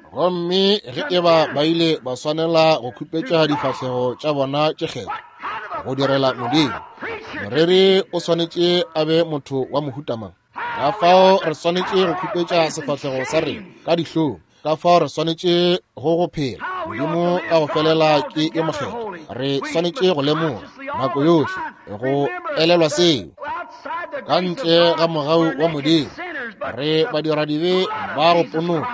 Gomme ge e ba ba ile ba swanela go khupetša difahlego tša bona tše kgethwa go direla Modimo, moreri o swanetše a be motho wa mohuta mang? Ka fao re swanetše go khupetša sefahlego sa rena ka dihlong, ka fao re swanetše go go phela Modimo ka go felela ke yo mokgethwa. Re swanetše go lemoga nako yohle go elelwa seo. Ka ntle ga mogau wa Modimo, Re badiradibe ba go ponoka,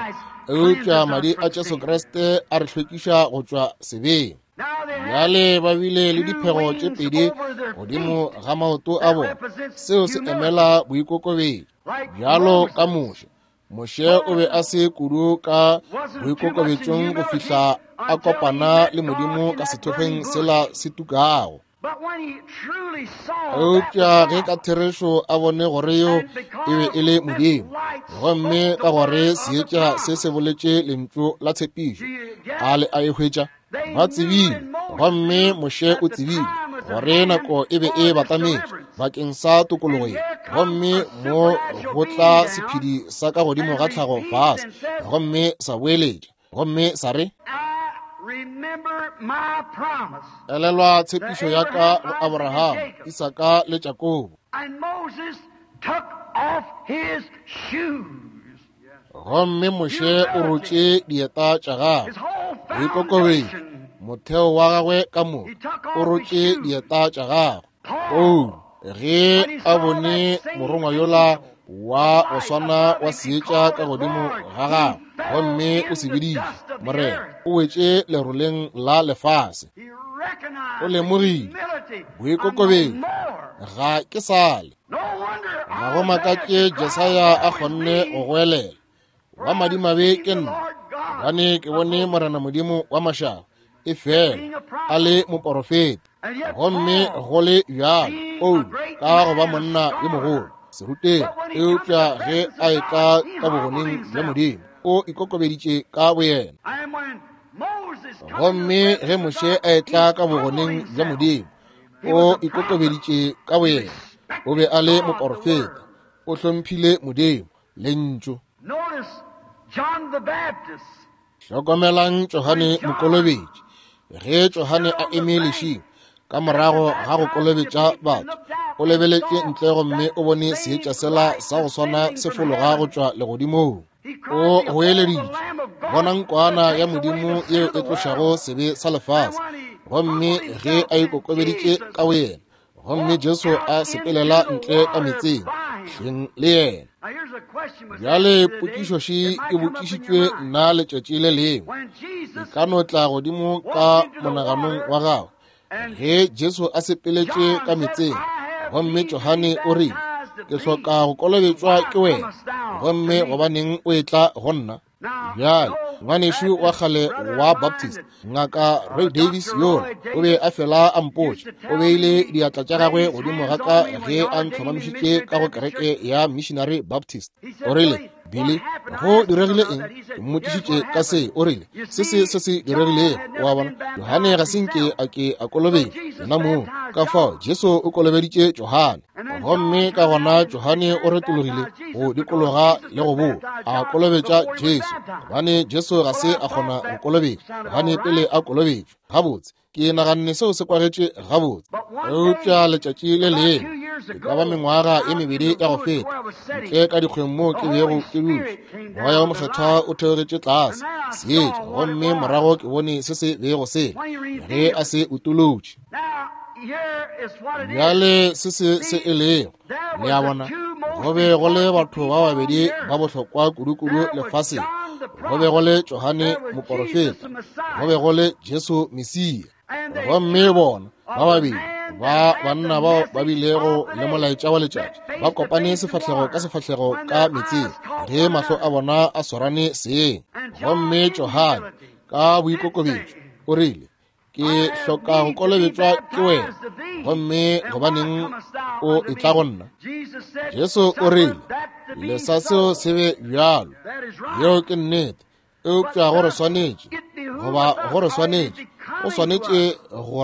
eupša madi a Jesu Kriste a re hlwekiša go tšwa sebeng. Bjale ba bile le diphego tše pedi godimo ga maoto a bona. Seo se emela boikokobetšo. Bjalo ka Moshe, Moshe o be a se kudu ka boikokobetšong go fihla a kopana le Modimo ka sethokgweng sela se tukago. Eupša ge ka therešo a bone gore yo e be e le Modimo, gomme ka gore seetša se se boletše lentšu la tshepišo, a le a e hwetša. Ba tsebile, gomme Moshe o tsebile gore nako e be e batametše bakeng sa tokologo ye, gomme mo go tla sephedi sa ka godimo ga tlhago fase, gomme sa boeletša, gomme sa re, Elelwa tshepišo ya ka go Abraham, Isaka le Jakobo. Gomme Moshe o rotše dieta tša gagwe, boikokobetšo, motheo wa gagwe ka moka, o rotše dieta tša gagwe. Paulo, ge a bone morongwa yola wa go swana wa seetša ka godimo ga gagwe, gomme o se biditše Morena, o wetše leroleng la lefase. O lemogile boikokobetšo, ga ke sale. Ga go makatše Jesaya a kgonne go goelela, wa madimabe ke nna, gobane ke bone Morena Modimo wa mašaba, e fela a le moporofeta. Gomme go le bjalo, Paulo ka go ba monna yo mogolo, serutegi, eupša ge a etla ka bogoneng bja Modimo, o ikokobeditše ka boyena. Gomme ge Moshe a etla ka bogoneng bja Modimo, o ikokobeditše ka boyena. O be a le moporofeta, o hlomphile Modimo, Lentšu. Hlokomelang Johane Mokolobetši. Ge Johane a eme lešing ka morago ga go kolobetša batho, o lebeletše ntle gomme o bone seetša sela sa go swana se fologa go tšwa legodimong. O goeleditše, bonang kwana ya Modimo yeo e tlošago sebe sa lefase. Gomme ge a ikokobeditše ka boyena, gomme Jesu a sepelela ntle ka metseng hleng le yena. Bjale potšišo še e botšišitšwe nna letšatši le lengwe, e ka no tla godimo ka monaganong wa gago. Ge Jesu a sepeletše ka metseng, gomme Johane o rile, ke hloka go kolobetšwa ke wena, gomme gobaneng o etla go nna? Bjale, ngwanešu wa kgale wa Baptist, Ngaka Roy Davis yola, o be a fela a mpotša, o beile diatla tša gagwe godimo ga ka ge a ntlhomamišitše ka go kereke ya Missionary Baptist. O rile, Billy, go diregile eng? Ke mmotšišitše ka se. O rile, se se se se diregilego. O a bona, Johane ga se nke a ke a kolobetšwa yena mong. Ka fao Jesu o kolobeditše Johane, gomme ka gona Johane o retologile go dikologa le go boa a kolobetša Jesu, gobane Jesu ga se a kgona go kolobetšwa Johane pele a kolobetšwa. Gabotse, ke naganne seo se kwagetše gabotse. Eupša letšatši le lengwe, e ka ba mengwaga e mebedi ya go feta, ntle ka dikgweng moo ke bego ke dutše, Moya wo Mokgethwa o theogetše tlase, seetša, gomme morago ke bone se se bego se ge a se utolotše. Bjale se se se e lego, le a bona, go be go le batho ba babedi ba bohlokwa kudu-kudu lefaseng. Go be go le Johane moporofeta, go be go le Jesu Mesia. Gomme bona ba babedi ba banna bao ba bilego le molaetša wa letšatši ba kopane sefahlego ka sefahlego ka metseng ge mahlo a bona a swarane seng. Gomme Johane ka boikokobetšo o rile, ke hloka go kolobetšwa ke wena, gomme gobaneng o etla go nna? Jesu o rile, lesa seo se be bjalo. Yeo ke nnete. Eupša go re swanetše, goba go re swanetše, go swanetše go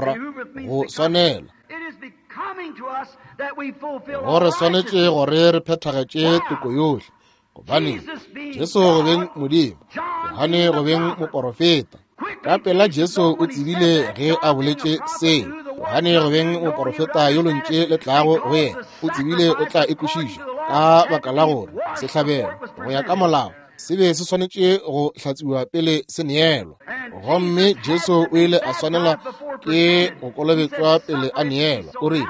go swanela, go re swanetše gore re phethagetše toko yohle. Gobane Jesu go beng Modimo, Johane go beng moporofeta. Ka pela Jesu o tsebile ge a boletše se. Johane go beng moporofeta yo lontše le tlago go yena, o tsebile o tla e kwešiša, ka baka la gore sehlabelo go ya ka molao se be se swanetše go hlatsiwa pele se neelwa. Gomme Jesu o ile a swanela ke go kolobetšwa pele a neelwa. O rile,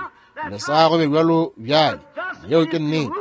lesa go be bjalo bjale. Yeo ke nnete.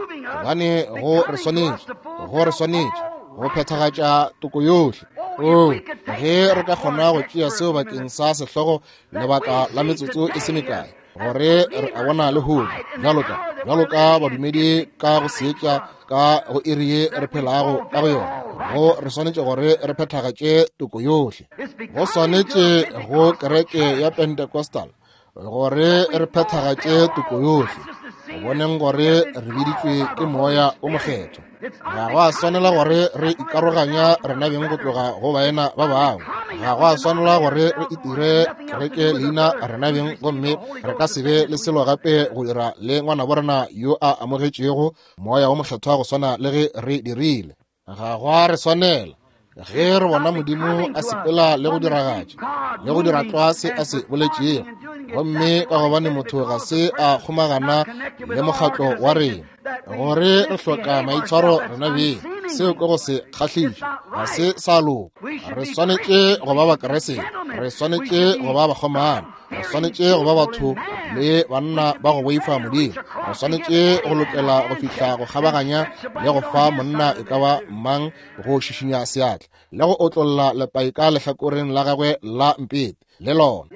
Gobane go re swanetše, go re swanetše go phethagatša toko yohle. Oo, ge re ka kgona go tšea seo bakeng sa sehlogo lebaka la metsotso e se mekae, gore re a bona lehono, bjalo ka, bjalo ka badumedi ka go seetša ka go iri ye re phelago ka go yona, go re swanetše gore re phethagatše toko yohle. Go swanetše go kereke ya Pentecostal gore re phethagatše toko yohle, go boneng gore re biditšwe ke Moya o Mokgethwa. Ga go a swanela gore re ikaroganya rena beng go tloga go baena ba bangwe. Ga go a swanela gore re itire kereke leina rena beng, gomme re ka se be le selo gape go dira le ngwanabo rena yo a amogetšego Moya o Mokgethwa go swana le ge re dirile. Ga go a re swanela ge re bona Modimo a sepela le go diragatša le go dira tlwa se a se boletšego, gomme ka gobane motho ga se a kgomagana le mokgatlo wa rena, gore re hloka maitshwaro rena beng, seo ke go se kgahliša, ga se sa loka. Re swanetše go ba Bakriste, re swanetše go ba bakgomana, re swanetše go ba batho le banna ba go boifa Modimo. Re swanetše go lokela go fihla go kgabaganya le go fa monna e ka ba mang go šišinya seatla le go otlolla lepai ka lehlakoreng la gagwe la mpete le lona.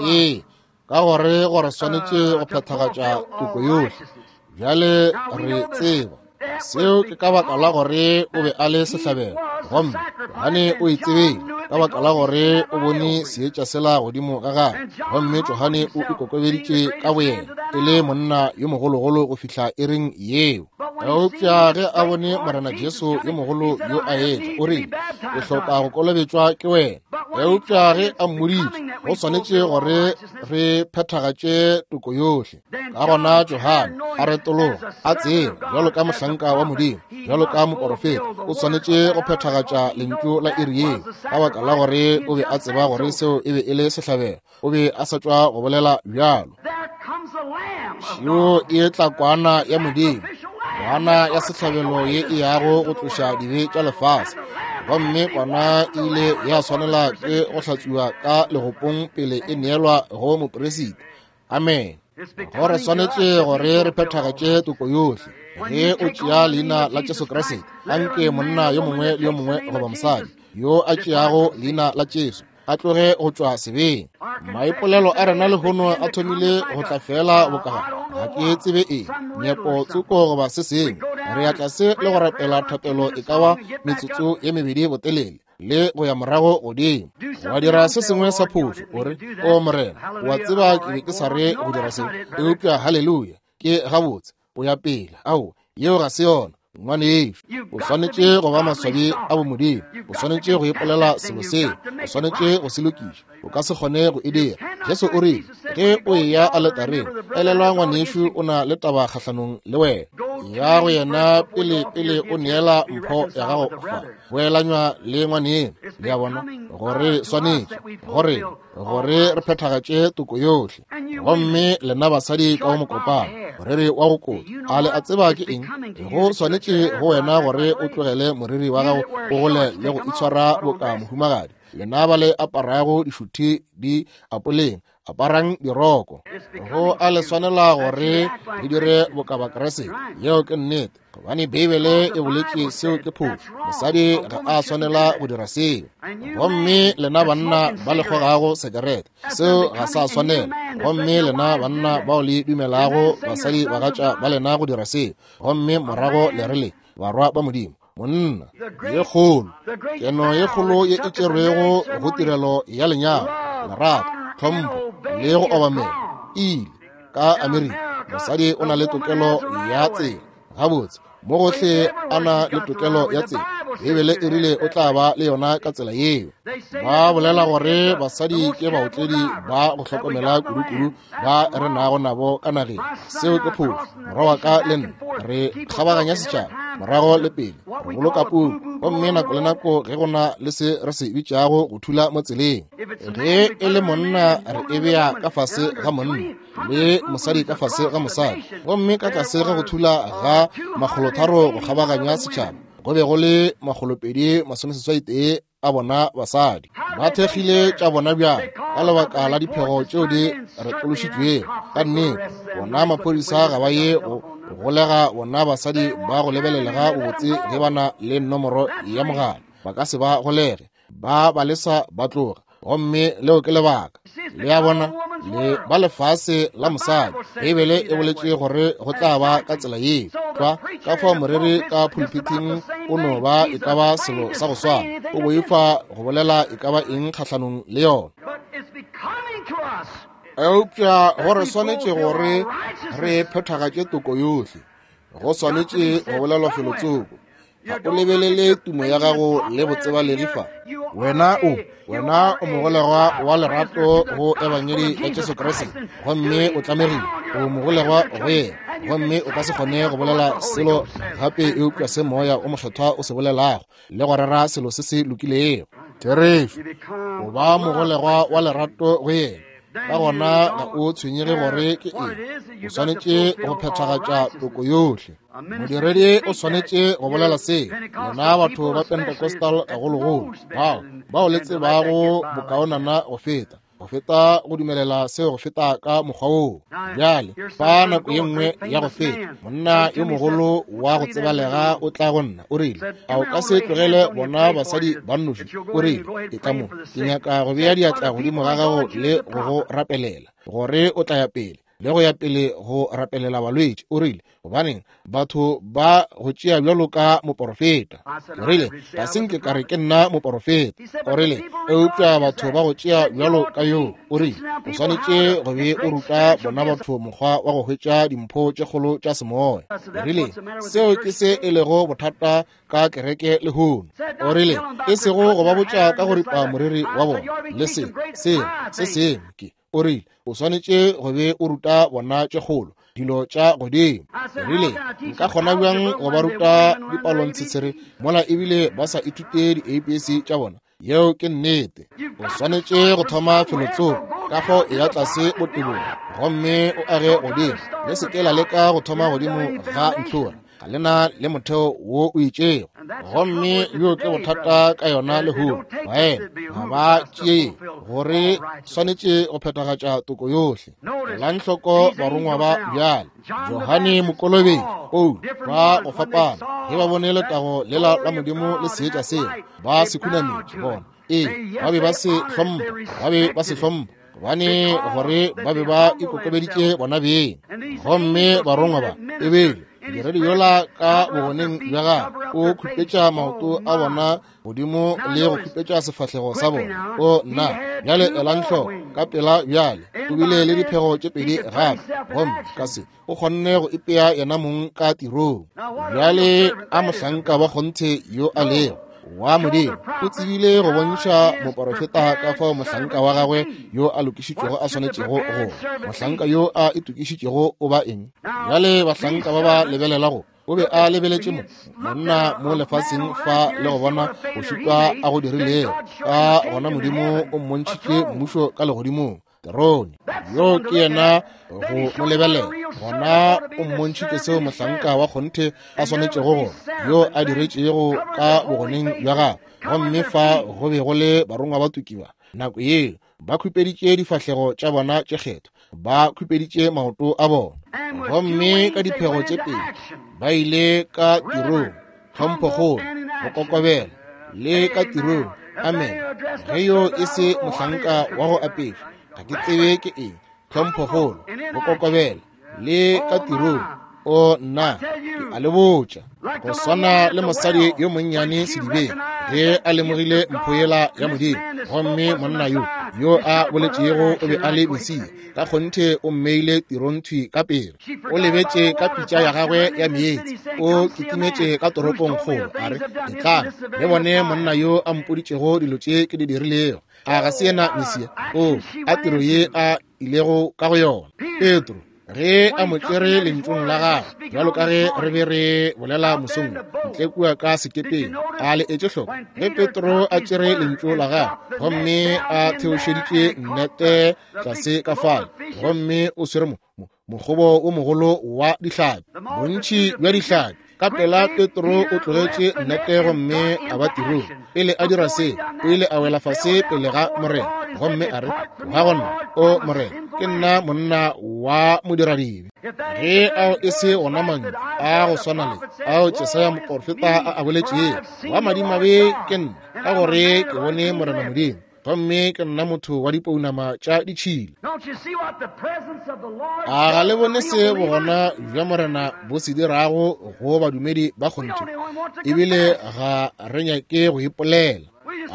Ee, ka gore gore swanetše go phethagatša toko yohle. Bjale re tseba seo ke ka baka la gore o be a le sehlabelo, gomme Johane o e tsebile ka baka la gore o bone seetša sela godimo ga gagwe, gomme Johane o ikokobeditše ka boyena e le monna yo mogologolo go fihla iring yeo. Eupša ge a bone Morena Jesu yo mogolo yo a etla, o rile, Ke hloka go kolobetšwa ke wena. Eupša ge a mmoditše, go swanetše gore re phethagatše toko yohle. Ka gona Johane a retologa, a tseba bjalo ka mohlanka wa Modimo, bjalo ka moporofeta, o swanetše go phethagatša lentšu la iri yeo, ka baka la gore o be a tseba gore seo e be e le sehlabelo. O be a sa tšwa go bolela bjalo. Šeo e tla kwana ya Modimo, kwana ya sehlabelo ye e yago go tloša dibe tša lefase. Gomme kwana e ile ya swanela ke go hlatswiwa ka legopong pele e neelwa go moperisita. Amen. Go re swanetše gore re phethagatše toko yohle. Ge o tšea leina la Jesu Kriste, anke monna yo mongwe le yo mongwe goba mosadi yo a tšeago leina la Jesu a tloge go tšwa sebeng. Maipolelo a rena lehono a thomile go tla fela bokagare, ga ke tsebe eng, nyepo tsoko goba se sengwe. Re ya tlase le go rapela thapelo e ka ba metsotso ye mebedi botelele, le go ya morago godimo wa dira se sengwe sa phošo, o re, O Morena, wa tseba ke be ke sa re go dira se, eupša haleluya, ke gabotse, o ya pele. Ao, yeo ga se yona, ngwanešu. O swanetše go ba maswabi a bomodimo, o swanetše go ipolela selo seo, o swanetše go se lokiša. O ka se kgone go e dira. Jesu o rile, ge o eya aletareng, elelwa ngwanešu o na le taba kgahlanong le wena. Ya go yena pele, pele o neela mpho ya gago fa, boelanywa le ngwaneno. Le a bona, gore swanetše gore, gore re phethagatše toko yohle. Gomme lena basadi ka go mokopano, moriri wa go kota, a le a tseba ke eng? Go swanetše go wena gore o tlogele moriri wa gago o gole le go itshwara boka mohumagadi. Lena ba le aparago dišuthi di apoleng, aparang diroko. Go a le swanela gore le dire boka Bakriste. Yeo ke nnete, gobane Beibele e boletše seo ke phošo. Mosadi ga a swanela go dira seo. Gomme lena banna ba le kgogago sekerete, seo ga sa swanela. Gomme lena banna bao le dumelago basadi bagatša ba lena go dira seo, gomme morago le re le barwa ba Modimo, monna ye kgolo, keno ye kgolo ye e tšerwego go tirelo ya lenyalo, lerato, tlhompho le go obamela, e ile ka Amerika. Mosadi o na le tokelo ya tsela. Gabotse, mo gohle a na le tokelo ya tsela. Beibele e rile o tla ba le yona ka tsela yeo. Ba bolela gore basadi ke baotledi ba go hlokomela kudu-kudu ba re nago nabo ka nageng. Seo ke phošo. Morwa wa ka le nna re kgabaganya setšhaba morago le pele, re boloka puku, gomme nako le nako ge go na le se re se bitšago go thula mo tseleng, ge e le monna re e bea ka fase ga monna, le mosadi ka fase ga mosadi, gomme ka tlase ga go thula ga 300 go kgabaganya setšhaba go be go le 281. a bona basadi. Ba thekgile tša bona bjang ka lebaka la diphego tšeo di retološitšwego. Ka nnete, bona maphodisa ga ba ye go golega bona basadi ba go lebelelega bobotse ge ba na le nomoro ya mogala. Ba ka se ba golege, ba ba lesa ba tloga. Gomme leo ke lebaka. Le a bona, le ba lefase la mosadi. Beibele e boletše gore go tla ba ka tsela yeo. Tlwa, ka fao moreri ka pulpiting o no ba e ka ba selo sa go swana. O boifa go bolela e ka ba eng kgahlanong le yona. Eupša go re swanetše gore re phethagatše toko yohle. Go swanetše go bolelwa felotsoko. Ga o lebelele tumo ya gago le botsebalegi fa. Wena o, wena o mogolegwa wa lerato go Ebangedi ya Jesu Kriste, gomme o tlamegile, o mogolegwa go yena, gomme o ka se kgone go bolela selo gape eupša se Moya o Mokgethwa o se bolelago, le go rera selo se se lokilego. Therešo, o ba mogolegwa wa lerato go yena. Ka gona ga o tshwenyege gore ke eng, o swanetše go phethagatša toko yohle. Modiredi o swanetše go bolela se, lena batho ba Pentecostal gagologolo, bao bao le tsebago bokaonana go feta, go feta go dumelela seo go feta ka mokgwa woo. Bjale, fa nako ye nngwe ya go feta, monna yo mogolo wa go tsebalega o tla go nna, o rile, a o ka se tlogele bona basadi ba nnoši? O rile, etla mo, ke nyaka go bea diatla godimo ga gago le go go rapelela, gore o tla ya pele le go ya pele go rapelela balwetši. O rile, gobaneng batho ba go tšea bjalo ka moporofeta? O rile, ga se nke ka re ke nna moporofeta. O rile, eupša batho ba go tšea bjalo ka yoo. O rile, o swanetše go be o ruta bona batho mokgwa wa go hwetša dimpho tše kgolo tša semoya. O rile, seo ke se e lego bothata ka kereke lehono. O rile, e sego go ba botša ka go ripa moriri wa bona le se sengwe se sengwe ke. O rile, o swanetše go be o ruta bona tše kgolo, dilo tša godimo. O rile, nka kgona bjang go ba ruta dipalontshetshere mola ebile ba sa ithute di-ABC tša bona? Yeo ke nnete. O swanetše go thoma felotsoko, ka fao e ya tlase botebong gomme o age godimo. Le se ke la leka go thoma godimo ga ntlhora, ga le na le motheo wo o itšego. Gomme bjo ke bothata ka yona lehono, baena ga ba tšee gore swanetše go phethagatša toko yohle. Elang hloko barongwa ba bjale, Johane Mokolobetši, Paulo, ba go fapana, ge ba bone letago lela la Modimo le seetša sela, ba se khunametše bona. Ee, ba be ba se hlompha, ba be ba se hlompha, gobane gore ba be ba ikokobeditše bona beng. Gomme barongwa ba ebele modiredi yola ka bogoneng bja gagwe o khupetša maoto a bona godimo le go khupetša sefahlego sa bona. O nna, bjale elang hloko ka pela bjale, o bile le diphego tše pedi gape, gomme ka se o kgonne go ipea yena mong ka tirong. Bjale a mohlanka wa kgonthe yo a lego wa Modimo o tsebile go bontšha moporofeta ka fao mohlanka wa gagwe yo a lokišitšwego a swanetšego go. Mohlanka yo a itokišitšego o ba eng? Bjale bahlanka ba ba lebelelago, o be a lebeletše mo monna mo lefaseng fa le go bona go šitwa a go dirilego. Ka gona Modimo o mmontšhitše mmušo ka legodimong, terone. Yo ke yena go mo lebelela. Gona o mmontšhitše seo mohlanka wa kgonthe a swanetšego go, yo a diretšego ka bogoneng bja gagwe. Gomme fa go be go le barongwa ba tukiwa nako yeo, ba khupeditše difahlego tša bona tše kgethwa, ba khupeditše maoto a bona, gomme ka diphego tše pedi ba ile ka tirong, tlhomphokgolo, go kokobela, le ka tirong. Amen. Ge yo e se mohlanka wa go apešwa, ga ke tsebe ke eng. Tlhomphokgolo, go kokobela, le ka tirong. O nna, ke a le botša, go swana le mosadi yo monnyane sedibeng, ge a lemogile mpho yela ya Modimo, gomme monna yo yo a boletšego o be a le Mesia, ka kgonthe o mmeile tirong thwi ka pele. O lebetše ka pitša ya gagwe ya meetse, o kitimetše ka toropong kgolo, a re, Etlang le bone monna yo a mpoditšego dilo tše ke di dirilego. A ga se yena Mesia? O a tiro ye a ilego ka go yona. Petro ge a mo tšere lentšong la gagwe, bjalo ka ge re be re bolela mosong ntle kua ka sekepeng, a le etše hloko ge Petro a tšere lentšu la gagwe gomme a theošeditše nnete tlase ka fale, gomme o swere mokgobo o mogolo wa dihlapi, bontši bja dihlapi. Ka pela Petro o tlogetše nnete gomme a ba tirong. Pele a dira se, o ile a wela fase pele ga Morena gomme a re, Tloga go nna, o Morena, ke nna monna wa modiradibe. Ge ao e se ona mantšu a go swana le ao Jesaya moporofeta a a boletšego, wa madimabe ke nna, ka gore ke bone Morena Modimo, gomme ke nna motho wa dipounama tša ditšhila. A ga le bone se bogona bja Morena bo se dirago go badumedi ba kgonthe? Ebile ga re nyake go ipolela.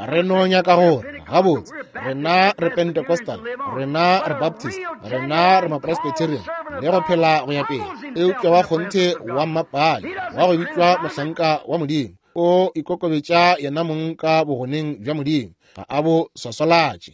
Re no nyaka gore gabotse rena re Pentecostal, rena re Baptist, rena re Mapresbyterian, le go phela go ya pele. Eupša wa kgonthe wa mmapale wa go bitšwa mohlanka wa Modimo o ikokobetša yena mong ka bogoneng bja Modimo, ga a bo swaswalatše.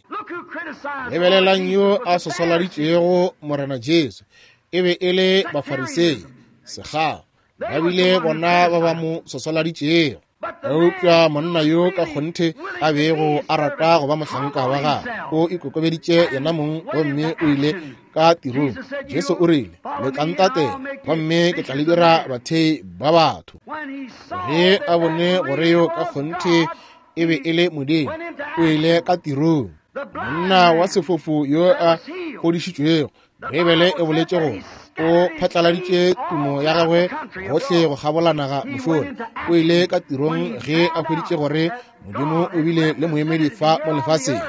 Lebelelang yo a swaswaladitšego Morena Jesu, e be e le Bafarisei, sekgao, ba bile bona ba ba mo swaswaladitšego. Eupša monna yo ka kgonthe a bego a rata go ba mohlanka wa gagwe o ikokobeditše yena mong gomme o ile ka tirong. Jesu o rile, Le tla ntatela, gomme ke tla le dira bathei ba batho. Ge a bone gore yo ka kgonthe e be e le Modimo, o ile ka tirong. Monna wa sefofu yo a fodišitšwego, Beibele e boletše gore o phatlaladitše tumo ya gagwe gohle go kgabola naga mošola. O ile ka tirong ge a hweditše gore Modimo o bile le moemedi fa mo lefaseng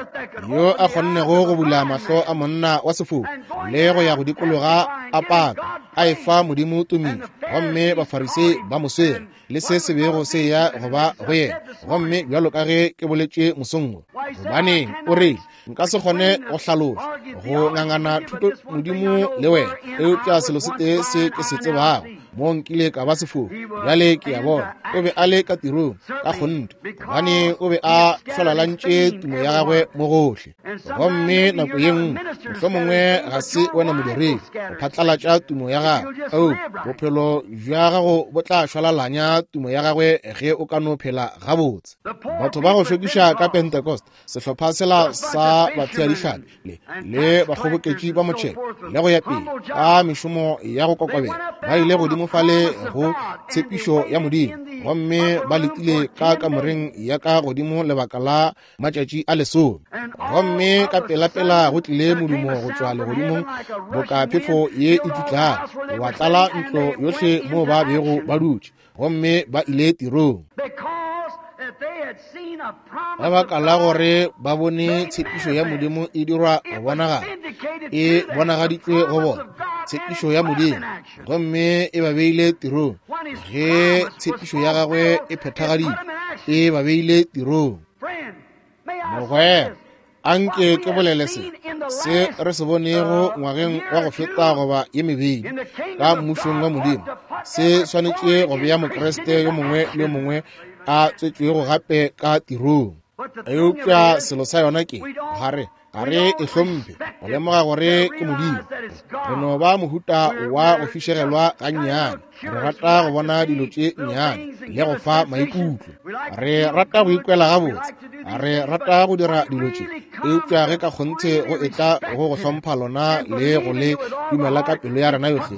yo a kgonnego go bula mahlo a monna wa sefofu le go ya go dikologa a paka a efa Modimo tumišo, gomme Bafarisei ba mo swere le se se bego se ya go ba go yena. Gomme bjalo ka ge ke boletše mosong wo, gobaneng o re nka se kgone go hlaloša go ngangana thuto Modimo le wena, eupša selo se tee se ke se tsebago, mo nkile ka ba sefofu, bjale ke a bona. O be a le ka tirong ka kgonthe, gobane o be a hlolalantše tumo ya gagwe mo gohle. Gomme nako ye nngwe, mohlomongwe ga se wena modiredi go phatlalatša tumo ya gagwe, eupša bophelo bja gago bo tla šwalalanya tumo ya gagwe ge o ka no phela gabotse. Batho ba go šokiša ka Pentecost, sehlopha sela sa batheadihlapi le le bakgoboketši ba motšhelo le go ya pele ka mešomo ya go kokobela, ba ile godimo fale go tshepišo ya Modimo gomme ba letile ka kamoreng ya ka godimo lebaka la matšatši a lesome. Gomme ka pelapela go tlile modumo go tšwa legodimong boka phefo ye e tšutlago, wa tlala ntlo yohle moo ba bego ba dutše, gomme ba ile tirong. Ka baka la gore ba bone tshepišo ya Modimo e dirwa go bonagala, e bonagaditšwe go bona, tshepišo ya Modimo, gomme e ba beile tirong. Ge tshepišo ya gagwe e phethagaditšwe, e ba beile tirong. Mogwera, anke ke bolele se se re se bonego ngwageng wa go feta goba ye mebedi ka mmušong wa Modimo, se swanetše go bea Mokriste yo mongwe le yo mongwe a tswetšwego gape ka tirong. Eupša selo sa yona ke ga re ga re e hlomphe go lemoga gore ke Modimo. Re no ba mohuta wa go fišegelwa gannyane, re rata go bona dilo tše nnyane le go fa maikutlo, re rata go ikwela gabotse, re rata go dira dilo tše, eupša ge ka kgonthe go etla go go hlompha lona le go le dumela ka pelo ya rena yohle,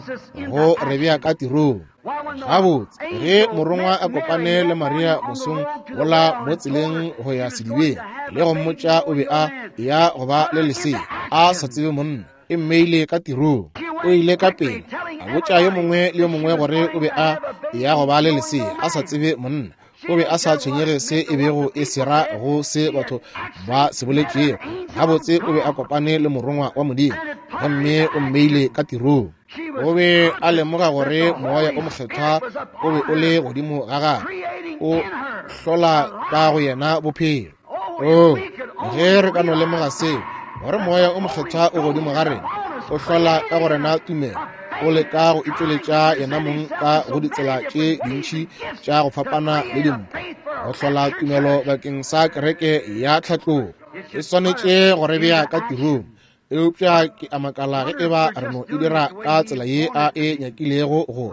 go re bea ka tirong. Gabotse, ge morongwa a kopane le Maria mosong wola mo tseleng go ya sedibeng le go mmotša o be a ya go ba le lesea a sa tsebe monna, e mmeile ka tirong. O ile ka pele a botša yo mongwe le yo mongwe gore o be a ya go ba le lesea a sa tsebe monna. O be a sa tshwenyege se e bego e se ra go se batho ba se boletšego. Gabotse, o be a kopane le morongwa wa Modimo gomme o mmeile ka tirong. O be a lemoga gore Moya o Mokgethwa o be o le godimo ga gagwe, o hlola ka go yena bophelo. Oh, ge re ka no lemoga seo, gore Moya o Mokgethwa o godimo ga rena, o hlola ka go rena tumelo, o leka go itšweletša yena mong ka go ditsela tše dintši tša go fapana le dimpho, go hlola tumelo bakeng sa kereke ya tlhatlogo. E swanetše go re bea ka tirong. Eupša ke a makala ge e ba re no e dira ka tsela ye a e nyakilego go,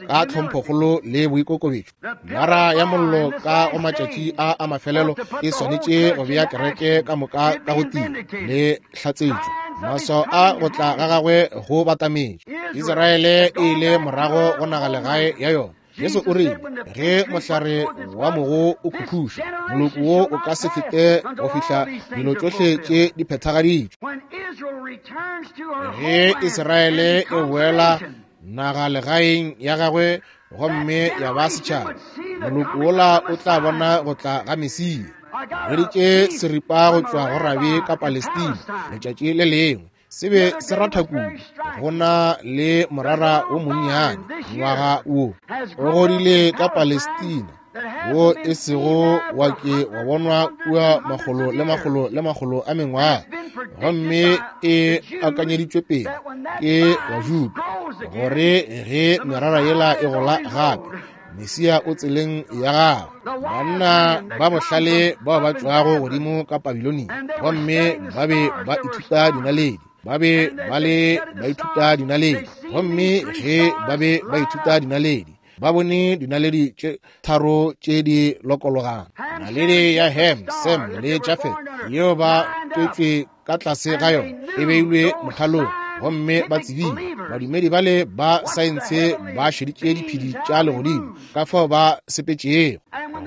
ka tlhomphokgolo le boikokobetšo. Lara ya mollo ka go matšatši a a mafelelo e swanetše go bea kereke ka moka ka go tia le hlatsetšo. Maswao a go tla ga gagwe go batametše. Israele e ile morago go nagalegae ya yona. Jesu o rile, ge mohlare wa mogo o khukhušwa, moloko wo o ka se fete go fihla dilo tšohle tše di phethagaditšwe. Ge Israele e boela naga legaeng ya gagwe gomme ya ba setšhaba, moloko wola o tla bona go tla ga Mesia. Hweditše seripa go tšwa go rabi ka Palestina letšatši le lengwe, se be se ratha kudu, go na le morara wo monnyane ngwaga wo o godile ka Palestina, wo e sego wa ke wa bonwa kua makgolo le makgolo le makgolo a mengwaga, gomme e akanyeditšwe pele ke Bajuda gore ge merara yela e gola gape, Mesia o tseleng ya gagwe. Banna ba bohlale bao ba tšwago godimo ka Babilonia, gomme ba be ba ithuta dinaledi, ba be ba le ba ithuta dinaledi, gomme ge ba be ba ithuta dinaledi, ba bone dinaledi tše tharo tše di lokologang, naledi ya Ham, Sem le Jafet, yeo ba tswetšwe ka tlase ga yona, e beilwe mothalong, gomme ba tsebile. Badumedi bale ba saense ba šeditše diphedi tša legodimo ka fao ba sepetšego,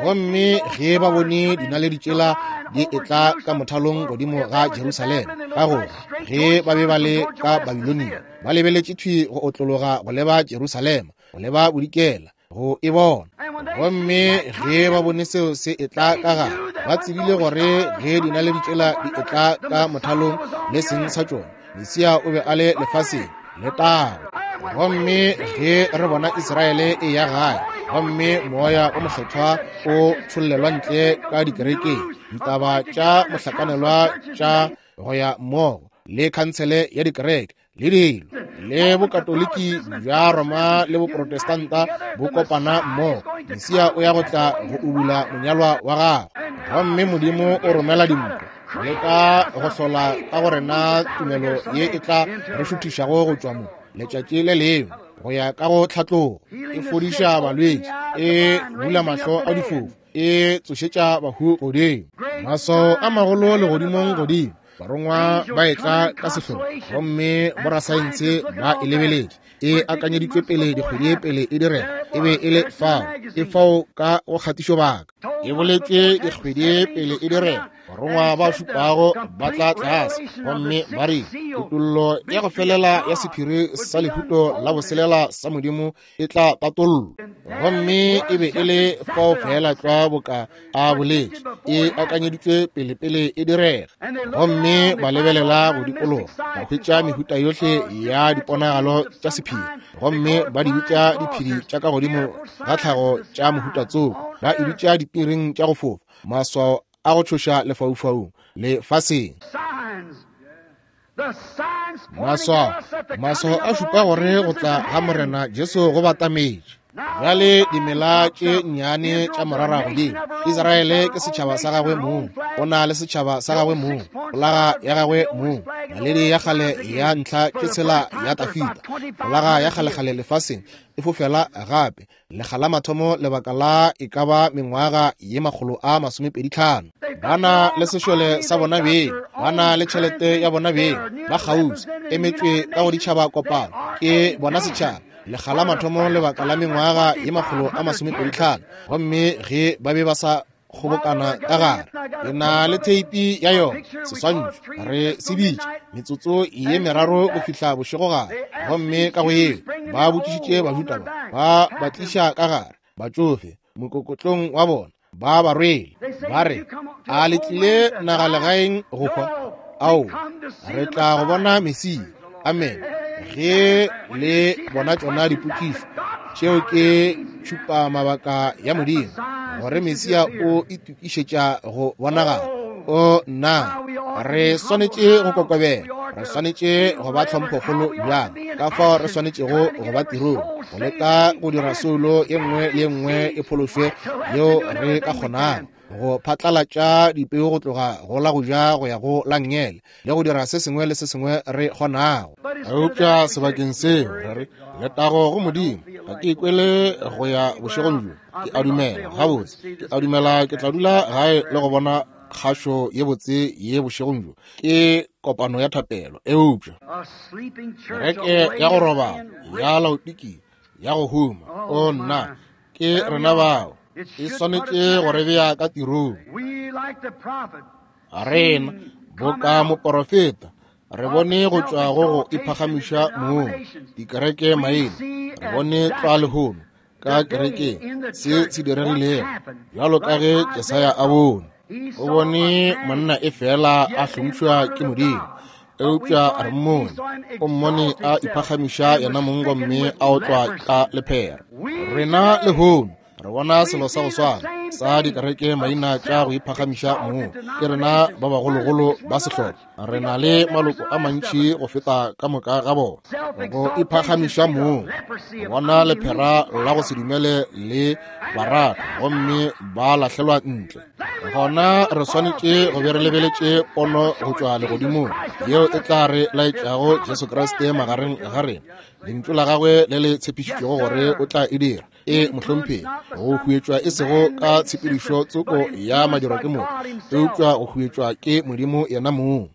gomme ge ba bone dinaledi tšela di etla ka mothalong godimo ga Jerusalema, ka gore ge ba be ba le ka Babilonia, ba lebeletše thwi go otlologa go leba Jerusalema, go leba bodikela, go e bona. Gomme ge ba bone seo se etla ka gare, ba tsebile gore ge dinaledi tšela di etla ka mothalong le seng sa tšona, Mesia o be a le lefaseng letago. Gomme ge re bona Israele e ya gae, gomme moya o mokgethwa o tšhollelwa ntle ka dikerekeng, ditaba tša mohlakanelwa tša go ya mmogo le khansele ya dikereke le dilo, le bokatoliki bja Roma le boprotestanta bo kopana mmogo, Mesia o ya go tla go ubula monyalwa wa gagwe. Gomme Modimo o romela dimpho go leka go hlola ka go rena tumelo ye e tla re šuthišago go tšwa mo letšatši le lengwe go ya ka go tlhatlogo. E fodiša balwetši, e bula mahlo a difofu, e tsošetša bahu godimo, maswao a magolo legodimong godimo, barongwa ba etla ka sehlogo, gomme borasaense ba e lebeletše, e akanyeditšwe pele dikgwedi pele e direga, e be e le fao, e fao ka go kgatišobaka, e boletšwe dikgwedi pele e direga. Barongwa ba šupago ba tla tlase gomme ba re kutollo ya go felela ya sephiri sa lehuto la boselela sa Modimo e tla tatollwa, gomme e be e le fao fela tlwa boka a boletše, e akanyeditšwe pele pele e direga. Gomme ba lebelela go dikologa, ba hwetša mehuta yohle ya diponagalo tša sephiri, gomme ba di bitša diphedi tša ka godimo ga tlhago tša mohuta tsoko, ba e bitša dipiring tša go fofa, maswao a go tšhoša lefaufaung lefaseng. Maswao, maswao a šupa gore go tla ga Morena Jesu go batametše. Bjale dimela tše nnyane tša morara godimo, Israele ke setšhaba sa gagwe mong, o na le setšhaba sa gagwe mong, folaga ya gagwe mong, naledi ya kgale ya ntlha ke tshela ya Tafita, folaga ya kgalekgale lefaseng e fofela gape, lekga la mathomo lebaka la e ka ba mengwaga ye 125. Ba na le sešole sa bona beng, ba na le tšhelete ya bona beng, ba kgauswi, emetšwe ka go ditšhaba kopano, ke bona setšhaba, lekga la mathomo lebaka la mengwaga ye 125. Gomme ge ba be ba sa kgobokana ka gare, ke na le theipi ya yona, seswantšho, re se bitša metsotso ye meraro go fihla bošegogare. Gomme ka go yeo ba botšišitše Bajuda ba ba tliša ka gare, batšofe mokokotlong wa bona, ba ba rwele, ba re, a le tlile nagalegaeng go hwa? Ao, re tla go bona Mesia. Amen. Ge le bona tšona dipotšišo tšeo ke tšhupa mabaka ya Modimo gore Mesia o itokišetša go bonagala. O nna, re swanetše go kokobela, re swanetše go ba tlhomphokgolo bjang, ka fao re swanetšego go ba tirong, go leka go dira soulo ye nngwe le ye nngwe e phološwe yeo re ka kgonago, go phatlalatša dipeu go tloga go la go ja go ya go la nngele, le go dira se sengwe le se sengwe re kgonago. Eupša sebakeng seo re re, letago go Modimo, ga ke ikwele go ya bošegong bjo. Ke a dumela, gabotse, ke a dumela ke tla dula gae le go bona kgašo ye botse ye bošegong bjo, ke kopano ya thapelo. Eupša kereke ya go robala ya Laodikia ya go huma, o nna, Ke rena bao. E swanetše go re bea ka tirong. Rena, boka moporofeta, re bone go tšwa go go iphagamiša mong, dikereke maina, re bone tlwa lehono ka kerekeng se se diregilego, bjalo ka ge Jesaya a bone. O bone monna e fela a hlompšwa ke Modimo, eupša re mmone, o mmone a iphagamiša yena mong gomme a otlwa ka lephera. Rena lehono re bona selo sa go swana sa dikereke maina tša go iphagamiša mong. Ke rena ba bagologolo ba sehlopha, re na le maloko a mantši go feta ka moka ga bona. Go iphagamiša mong, go bona lephera la go se dumele le barata gomme ba lahlelwa ntle. Gona re swanetše go be re lebeletše pono go tšwa legodimong yeo e tla re laetšago Jesu Kriste magareng ga rena, lentšu la gagwe le le tshepišitšego gore o tla e dira. E mohlomphegi, go huetšwa e sego ka tshepedišo tsoko ya madirwa ke motho, eupša go huetšwa ke Modimo yena mong.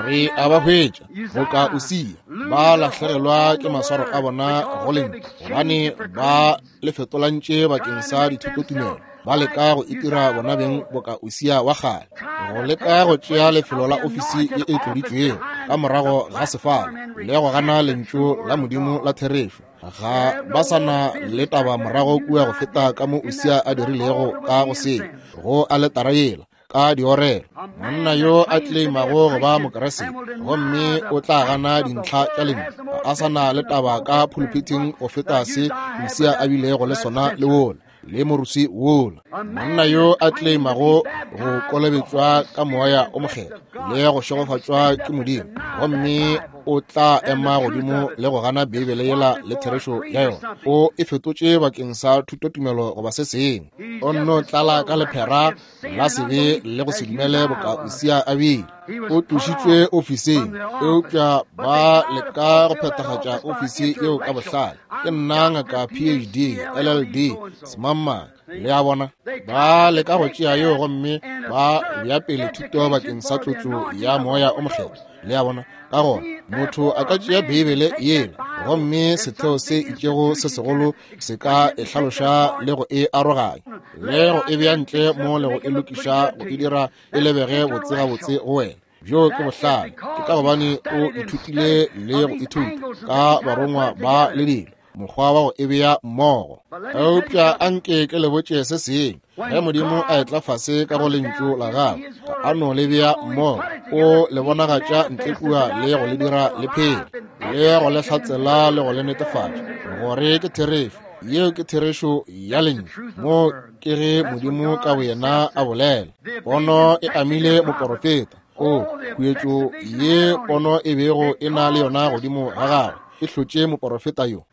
Re a ba hwetša boka Usia, ba lahlegelwa ke maswaro a bona go lentšu, gobane ba le fetolantše bakeng sa dithutotumelo. Ba leka go itira bona beng boka Usia wa kgale, go leka go tšea lefelo la ofisi ye e tloditšwego ka morago ga sefala le go gana lentšu la Modimo la therešo. Ga ba sa na le taba morago kua go feta ka mo Usia a dirilego ka go se go aletara yela ka diorelo. Monna yo a tleimago go ba Mokeresete gomme o tla gana dintlha tša lentšu, ga a sa na le taba ka pulpiting go feta se Usia a bilego le sona le wola le moruswi wola. Monna yo a tleimago go kolobetšwa ka moya o mokgethwa le go šegofatšwa ke Modimo, gomme o tla ema godimo le go gana Beibele yela le therešo ya yona, o e fetotše bakeng sa thutotumelo goba se sengwe. O nno tlala ka lephera la sebe le go se dumele boka Usia a bile. O tlošitšwe ofising, eupša ba leka go phethagatša ofisi yeo ka bohlale. Ke nna ngaka PhD, LLD, semangmang, le a bona. Ba leka go tšea yeo gomme ba bea pele thuto bakeng sa tlotšo ya moya o mokgethwa, le a bona. Ka gona motho a ka tšea Beibele yela gomme setheo se itšego se segolo se ka e hlaloša le go e aroganya le go e bea ntle mo le go e lokiša go e dira e lebege botse gabotse go wena. Bjo ke bohlale, ke ka gobane o ithutile le go ithuta ka barongwa ba le dilo, mokgwa wa go e bea mmogo. Eupša anke ke le botše se sengwe, ge Modimo a etla fase ka go lentšu la gagwe, ga a no le bea mmogo, o le bonagatša ntle kua le go le dira le phele, le go le hlatsela le go le netefatša gore ke therešo. Yeo ke therešo ya lentšu. Mo ke ge Modimo ka boyena a bolela. Pono e amile moporofeta. O khuetšo ye pono e bego e na le yona godimo ga gagwe e hlotše moporofeta yo.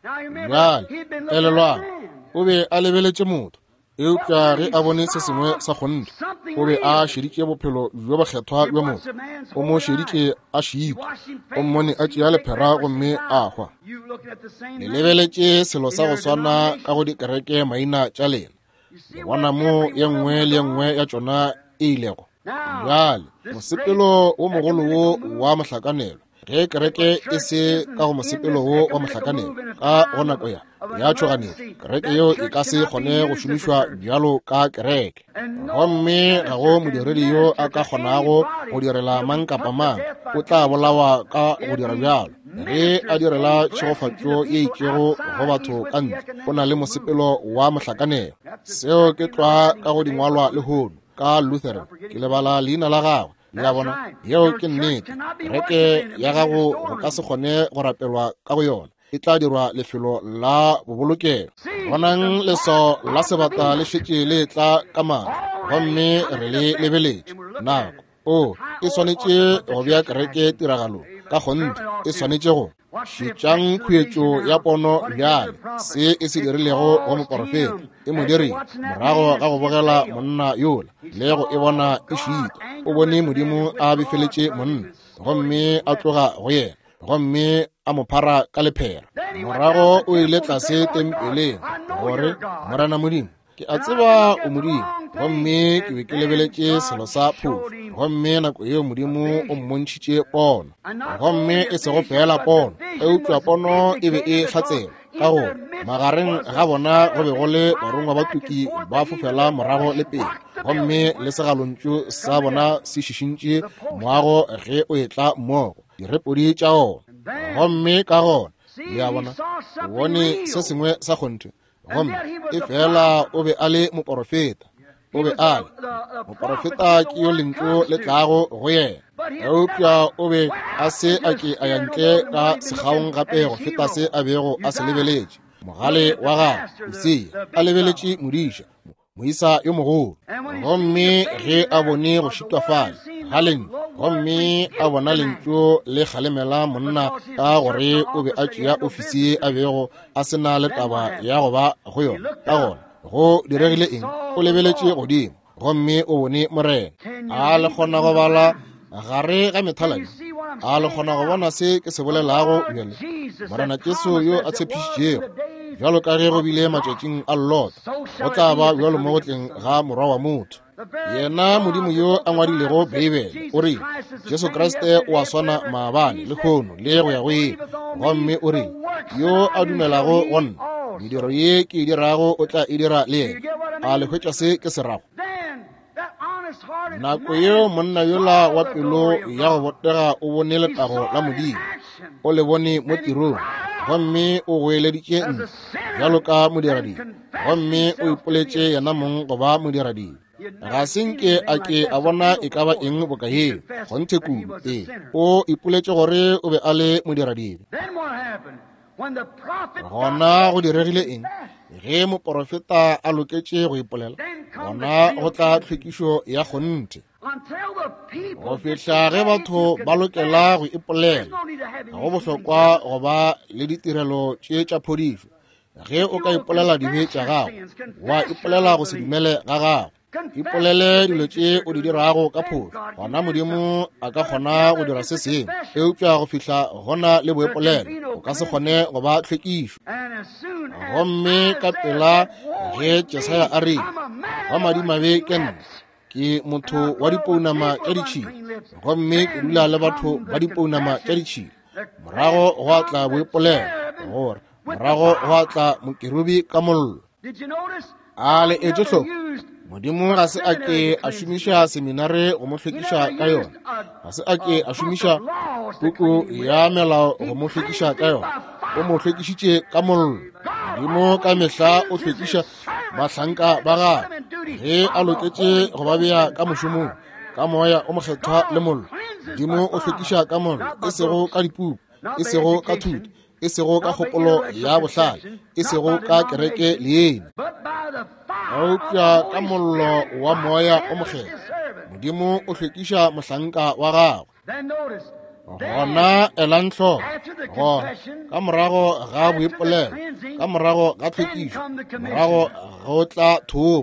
Bjale elelwang, o be a lebeletše motho, eupša ge a bone se sengwe sa kgonthe, o be a šeditše bophelo bjo bokgethwa bja motho. O mo šeditše a šitwa, o mmone a tšea lephera gomme a hwa. Le lebeletše selo sa go swana ka go dikereke maina tša lena. Le bona mo ye nngwe le ye nngwe ya tšona e ilego. Bjale mosepelo wo mogolo wo wa mohlakanelo, ge kereke e se ka go mosepelo wo wa mohlakanelo ka go nako ya tšhoganetšo, kereke yeo e ka se kgone go šomišwa bjalo ka kereke. Gomme ga go modiredi yo a ka kgonago go direla mang kapa mang, o tla bolawa ka go dira bjalo. Ge a direla tšhegofatšo ye itšego go batho ka ntle, o na le mosepelo wa mohlakanelo. Seo ke tlwa ka go dingwalwa lehono ka Lutheran, ke lebala leina la gagwe. Le a bona, yeo ke nnete. Kereke ya gago go ka se kgone go rapelwa ka go yona, e tla dirwa lefelo la bobolokelo. Bonang leswao la sebata le šetše le tla ka maatla, gomme re le lebeletše. Nako o e swanetše go bea kereke tiragalong ka kgonthe, e swanetše go šetšang khuetšo ya pono bjale, se e se dirilego go moporofeta, e mo dirile morago ga go bogela monna yola le go e bona e šitwa. O bone Modimo a befeletše monna gomme a tloga go yena gomme a mo phara ka lephera. Morago o ile tlase tempeleng gore, Morena Modimo, ke a tseba o Modimo, gomme ke be ke lebeletše selo sa phošo. Gomme nako yeo Modimo o mmontšhitše pono, gomme e sego fela pono, eupša pono e be e hlatselwa ka gore Magareng ga bona go be go le barongwa ba tuki ba fofela morago le pele, gomme le segalontšu sa bona se šišintše moago ge o etla mmogo, direpodi tša ona. Gomme ka gona, le a bona, o bone se sengwe sa kgonthe, gomme efela o be a le moporofeta. O be a le moporofeta, ke yo lentšu le tlago go yena. Eupša o be a se a ke a ya ntle ka sekgaong gape go feta se a bego a se lebeletše. Mogale wa gagwe Usia a lebeletše modiša, moisa yo mogolo, gomme ge a bone go šitwa fale ga lentšu, gomme a bona lentšu le kgalemela monna ka gore o be a tšea ofisi ye a bego a se na le taba ya go ba go yona. Ka gona go diregile eng? O lebeletše godimo gomme o bone Morena. A le kgona go bala gare ga methaladi? A le kgona go bona se ke se bolelago bjale? Morena Jesu yo a tshepišitšego, bjalo ka ge go bile matšatšing a Lota, go tla ba bjalo mo go tleng ga Morwa wa motho. Yena Modimo yo a ngwadilego Beibele o rile Jesu Kriste o a swana maabane, lehono le go ya go ile. Gomme o rile, yo a dumelago go nna, mediro ye ke e dirago o tla e dira le yena. A le hwetša se ke se rago? Nako yeo monna yola wa pelo ya go botega o bone letago la Modimo, o le bone mo tirong, gomme o goeleditše ntle bjalo ka modiradibe, gomme o ipoletše yena mong go ba modiradibe. Ga se nke a ke a bona e ka ba eng boka yeo, kgonthe kudu. Ee, o ipoletše gore o be a le modiradibe. Gona go diregile eng? Ge moporofeta a loketše go ipolela, gona go tla tlhwekišo ya kgonthe. Go fihla ge batho ba lokela go ipolela, ga go bohlokwa go ba le ditirelo tše tša phodišo. Ge o ka ipolela dibe tša gago, wa ipolela go se dumele ga gago, ipolele dilo tše o di dirago ka phošo, gona Modimo a ka kgona go dira se sengwe. Eupša go fihla gona le boipolelo, o ka se kgone go ba tlhwekišo. Gomme ka pela ge Jesaya a rile, wa madimabe ke nna, ke motho wa dipounama tša ditšhila, gomme ke dula le batho ba dipounama tša ditšhila. Morago gwa tla boipolelo, gore morago gwa tla mokerubi ka mollo. A le etše hloko? Modimo ga se a ke a šomiša seminare go mo hlwekiša ka yona, ga se a ke a šomiša puku ya melao go mo hlwekiša ka yona, o mo hlwekišitše ka mollo. Modimo ka mehla o hlwekiša bahlanka ba gagwe ge a loketše go ba bea ka mošomong ka moya o mokgethwa le mollo. Modimo o hlwekiša ka mollo, e sego ka dipuku, e sego ka thuto, e sego ka kgopolo ya bohlale, e sego ka kereke leina, eupša ka mollo wa moya o mokgethwa. Modimo o hlwekiša mohlanka wa gagwe. Gona elang hloko, gona ka morago ga boipolelo, ka morago ga tlhwekišo, morago go tla thomo,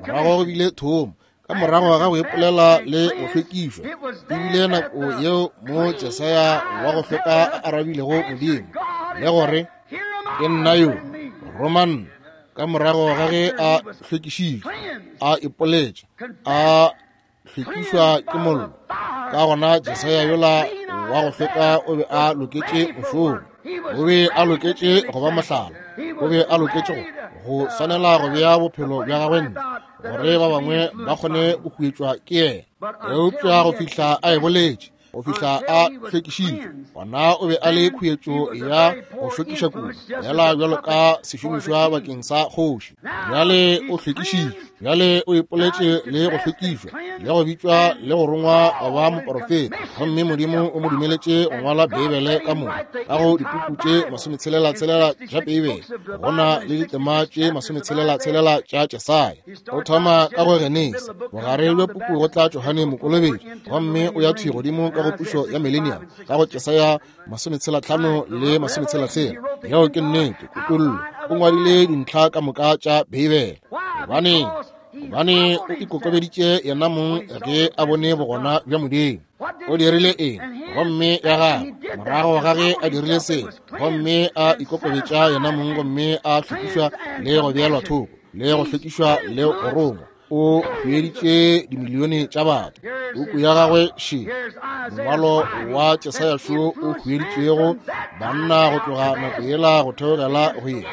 morago go bile thomo, ka morago ga go ipolela le go hlwekišwa. E bile nako yeo mo Jesaya wa go hlweka a arabilego Modimo le gore, ke nna yo, roma nna. Ka morago ga ge a hlwekišitšwe, a ipoletše, a hlwekišwa ke mollo, ka gona Jesaya yola wa go hlweka o be a loketše mošomo, o be a loketše go ba mohlala, o be a loketše go swanela go bea bophelo bja gagwe ntle gore ba bangwe ba kgone go huetšwa ke yena. Eupša go fihla a e boletše, go fihla a hlwekišitšwe, gona o be a le khuetšo ya go hlwekiša kudu, fela bjalo ka sešomišwa bakeng sa kgoši. Bjale o hlwekišitšwe, bjale o ipoletše le go hlwekišwa, le go bitšwa le go rongwa go ba moporofeta, gomme Modimo o mo dumeletše go ngwala Beibele ka moka. Ka go dipuku tše 66 tša Beibele, go na le ditema tše 66 tša Jesaya. O thoma ka go Genesi, bogare bja puku go tla Johane Mokolobetši, gomme o ya thwi godimo ka go pušo ya Millennium ka go Jesaya 65 le 66. Yeo ke nnete. Kutollo o ngwadile dintlha ka moka tša Beibele. Gobaneng? Gobane o ikokobeditše yena mong ge a bone bogona bja Modimo. O dirile eng? Gomme ya gagwe, morago ga ge a dirile se, gomme a ikokobetša yena mong, gomme a hlwekišwa le go beelwa thoko, le go hlwekišwa le go rongwa, o hueditše dimilione tša batho. Puku ya gagwe še, mongwalo wa Jesaya šo o hueditšego banna go tloga nako yela go theogela go yena.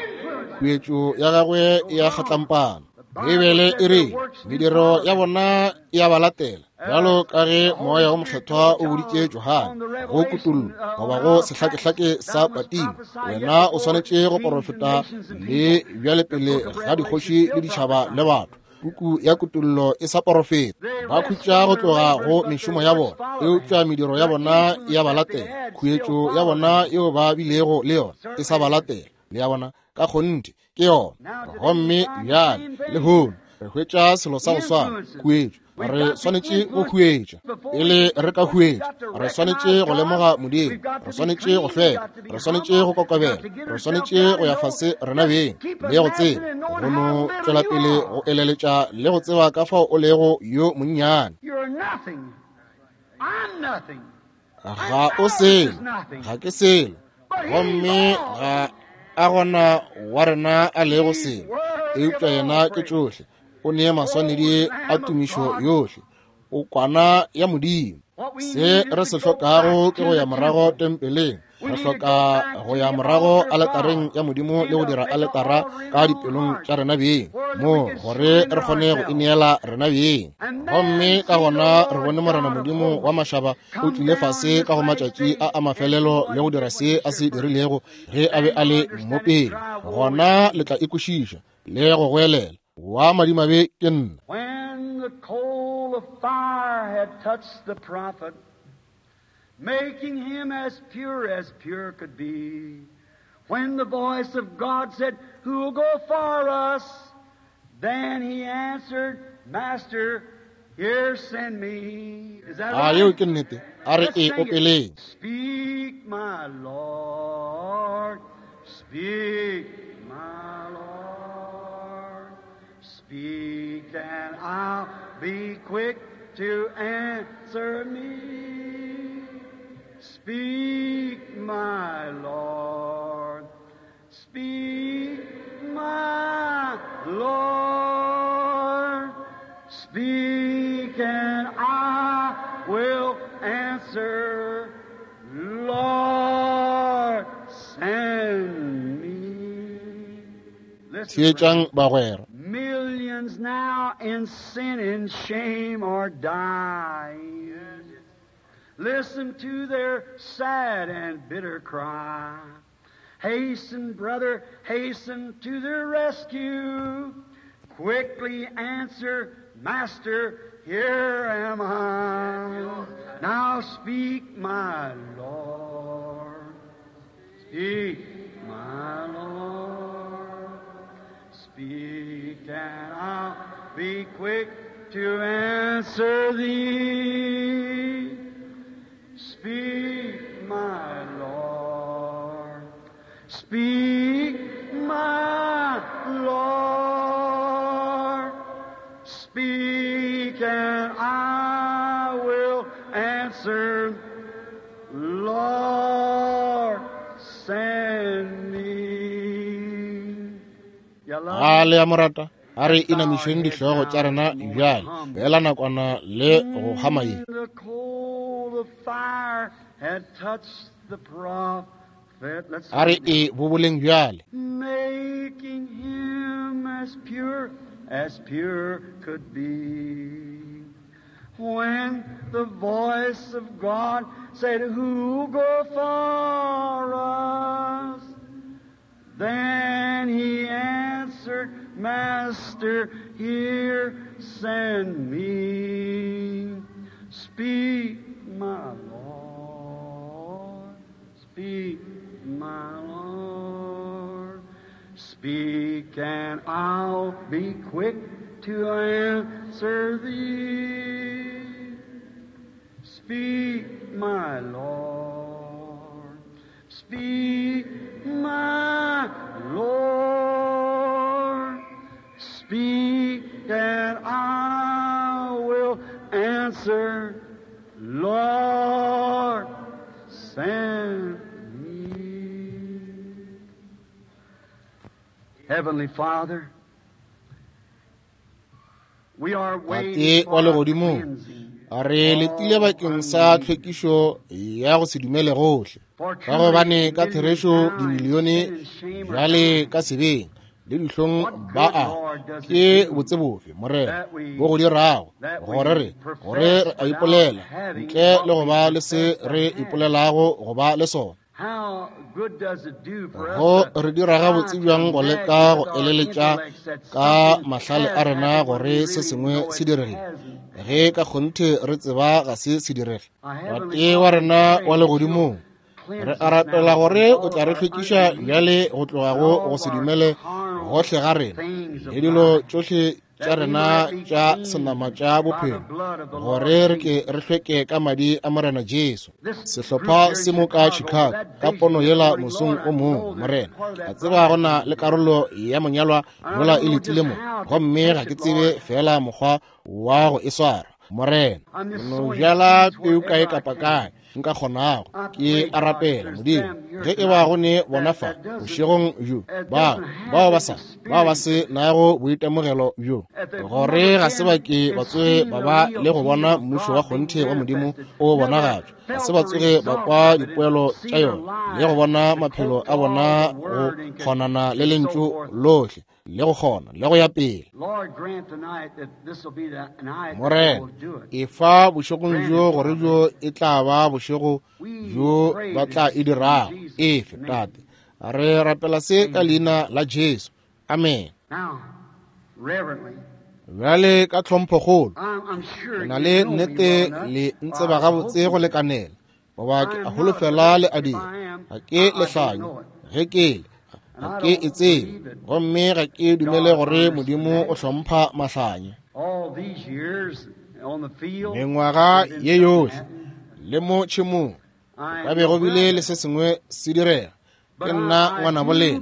Khuetšo ya gagwe e a kgatlampana. Beibele e re mediro ya bona e a ba latela, bjalo ka ge Moya wo Mokgethwa o boditše Johane go Kutollo goba go sehlakehlake sa Patimo, wena o swanetše go porofeta le bjale pele ga dikgoši le ditšhaba le batho. Puku ya Kutollo e sa porofeta. Ba khutša go tloga go mešomo ya bona, eupša mediro ya bona e a ba latela. Khuetšo ya bona yeo ba bilego le yona e sa ba latela. Le a bona? Ka kgonthe ke yona. Gomme bjale lehono re hwetša selo sa go swana, khuetšo. Re swanetše go huetša. Pele re ka huetša, re swanetše go lemoga Modimo, re swanetše go hlweka, re swanetše go kokobela, re swanetše go ya fase rena beng le go tseba, go no tšwela pele go eleletša le go tseba ka fao o lego yo monnyane. Ga o selo, ga ke selo, gomme ga a gona wa rena a lego selo, eupša yena ke tšohle. O nee maswanedi a tumišo yohle, o kwana ya Modimo. Se re se hlokago ke go ya morago tempeleng. Re hloka go ya morago aletareng ya Modimo le go dira aletara ka dipelong tša rena beng, mo gore re kgone go ineela rena beng. Gomme ka gona re bone Morena Modimo wa mašaba o tlile fase ka go matšatši a a mafelelo le go dira se a se dirilego ge a be a le mo pele. Gona le tla ikwešiša le go goelela, wa madimabe ke nna. When the coal of fire had touched the prophet, making him as pure as pure could be, when the voice of God said, Who'll go for us? Then he answered, Master, here send me. Is that A yeo right? ke nnete? A re Let's e sing it. opeleng. Speak, my Lord. Speak, my Lord. Speak, and I'll be quick to answer me. Speak, my Lord. Speak, my Lord. Speak, and I will answer. Lord, send me. Listen, Theetšang friends. bagwera. Millions now in sin and shame are dying. Listen to their sad and bitter cry. Hasten, brother, hasten to their rescue. Quickly answer, Master, here am I. Now speak, my Lord. Speak, my Lord. Speak, and I'll be quick to answer thee. Speak, my Lord. Speak, my Lord. Speak, and I will answer. Lord, send me. You love A me? le a mo rata? A re inamišeng dihlogo tša rena bjale, feela nakwana le go hama ye. The coal of fire had touched the prophet. Let's A re sing it now. e boboleng bjale. Making him as pure as pure could be. When the voice of God said, Who'll go for us? Then he answered, Master, here send me. Speak, my Lord. Speak, my Lord. Speak, and I'll be quick to answer thee. Speak, my Lord. Speak, my Lord. Speak, and I will answer. Lord, send me. Heavenly Father, we are waiting Tate wa for a legodimong, cleansing a re letile bakeng sa tlhwekišo ya go se dumele gohle. For Ka gobane truly ka millions therešo now in dimilione sin and shame are bjale dying. ka sebeng le dihlong ba a ke botse bofe, Morena, bo go dirago gore re gore re a ipolela ntle le go ba le se re ipolelago go ba le sona. Go re dira gabotse bjang go leka go eleletša ka mahlale a rena gore se sengwe se diregile, ge ka kgonthe re tseba ga se se direge. Tate wa rena wa legodimong, re a rapela gore o tla re hlwekiša bjale go tloga go se dumele gohle ga rena le dilo tšohle tša rena tša senama tša bophelo, gore re ke re hlweke ka madi a Morena Jesu. Sehlopha se mo ka Chicago ka pono yela mosong o mongwe, Morena, ke a tseba go na le karolo ya monyalwa yola e letile mo, gomme ga ke tsebe fela mokgwa wa go e swara. Morena, no bjala peu kae kapa kae nka kgonago. Ke a rapela, Modimo, ge e ba go ne bona fa bošegong bjo bao ba se nago boitemogelo bjo, gore ga se ba ke ba tsoge ba ba le go bona mmušo wa kgonthe wa Modimo o bonagatšwa, ga se ba tsoge ba kwa dipoelo tša yona le go bona maphelo a bona go kgonana le lentšu lohle le go kgona le go ya pele. Morena, efa bošegong bjo gore bjo e tla ba bošego bjo ba tla e dirago. Efe, Tate, re rapela se ka leina la Jesu. Amen. Bjale ka tlhomphokgolo, ke na le nnete le ntseba gabotse go lekanela, goba ke a holofela le a dira. Ga ke lehlanya, ge ke le ga ke e tsebe, gomme ga ke dumele gore Modimo o hlompha mahlanya. Mengwaga ye yohle le mo tšhemong ka be go bile le se sengwe se direga. Ke nna ngwanabo lena,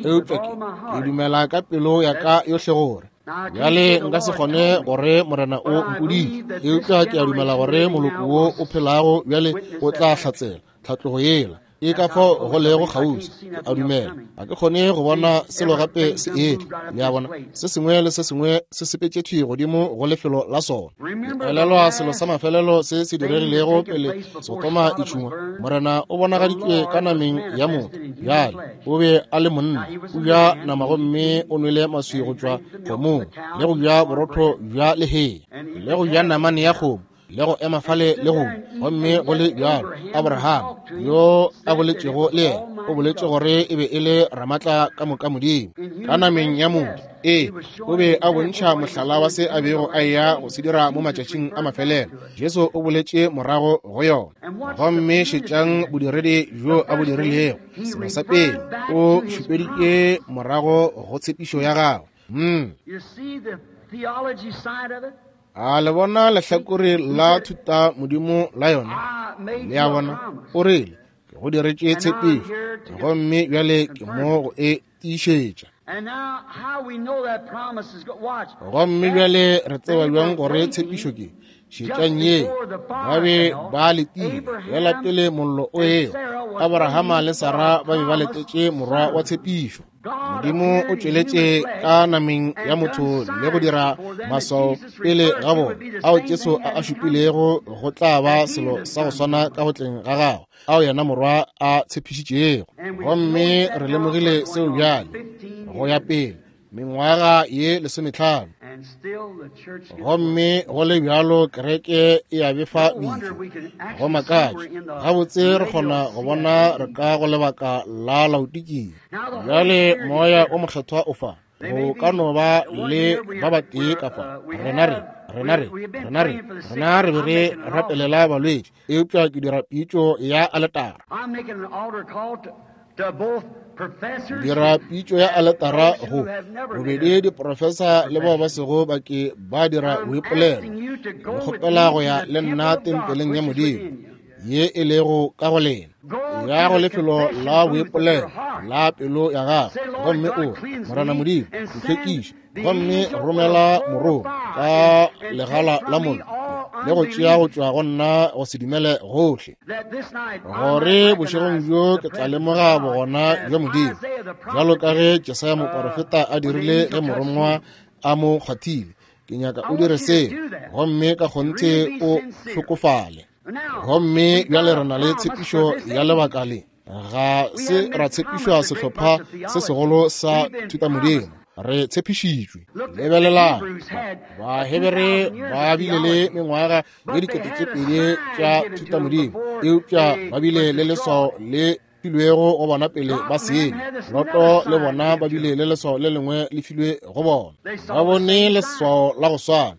eupša ke dumela ka pelo ya ka yohle gore bjale nka se kgone gore Morena o mpoditše, eupša ke a dumela gore moloko wo o phelago bjale o tla hlatsela tlhatlogo yela e ka fao go lego kgauswi. Ke a dumela, ga ke kgone go bona selo gape se etla. Le a bona, se sengwe le se sengwe se sepetše thwi godimo go lefelo la sona. Ke elelwa selo sa mafelelo se se diregilego pele Sodoma e tšhungwa. Morena o bonagaditšwe ka nameng ya motho. Bjale o be a le monna, o ja nama gomme o nwele maswi go tšwa kgomong, le go ja borotho bja lehea, le go ja namane ya kgomo, le go ema fale le go, gomme go le bjalo Abraham yo a boletšego le yena o boletše gore e be e le ramatla ka moka Modimo ka nameng ya motho. Ee, o be a bontšha mohlala wa se a bego a eya go se dira mo matšatšing a mafelelo. Jesu o boletše morago go yona. Gomme šetšang bodiredi bjo a bo dirilego. Selo sa pele, o šupeditše morago go tshepišo ya gagwe. A le bona lehlakore la thuta Modimo la yona? Le a bona, o rile, ke go diretše tshepišo, gomme bjale ke mo go e tiišetša. Gomme bjale re tseba bjang gore tshepišo ke? Šetšang ye, ba be ba letile fela pele mollo o ewa. Abrahama le Sara ba be ba letetše morwa wa tshepišo. Modimo o tšweletše ka nameng ya motho le go dira maswao pele ga bona ao Jesu a a šupilego go tla ba selo sa go swana ka go tleng ga gagwe, ao yena morwa a tshepišitšego. Gomme re lemogile seo bjale go ya pele mengwaga ye 15, gomme go le bjalo kereke e a befa bitšo. Go makatša gabotse re kgona go bona re ka go lebaka la Laodikia. Bjale moya o mokgethwa o fa, go ka no ba le ba batee ka fa. Rena re be re rapelela balwetši, eupša ke dira pitšo ya aletara. Dira pitšo ya aletara go bobedi diprofesa le bao ba sego ba ke ba dira boipolelo. Ke kgopela go ya le nna tempeleng ya Modimo ye e lego ka go lena, ya go lefelo la boipolelo la pelo ya gago, gomme o Morena Modimo ntlhwekiše, gomme romela morongwa ka legala la mollo le go tšea go tšwa go nna go se dumele gohle, gore bošegong bjo ke tla lemoga bogona bja Modimo, bjalo ka ge Jesaya moporofeta a dirile ge morongwa a mo kgwathile. Ke nyaka o dire seo, gomme ka kgonthe o hlokofale. Gomme bjale re na le tshepišo ya lebaka le. Ga se ra tshepišwa sehlopha se segolo sa thutamodimo, re tshepišitšwe. Lebelelang, Bahebere ba bile le mengwaga ye 2000 tša thutamodimo, eupša ba bile le leswao le filwego go bona pele ba senya. Loto le bona ba bile le leswao le lengwe le filwe go bona. Ba bone leswao la go swana.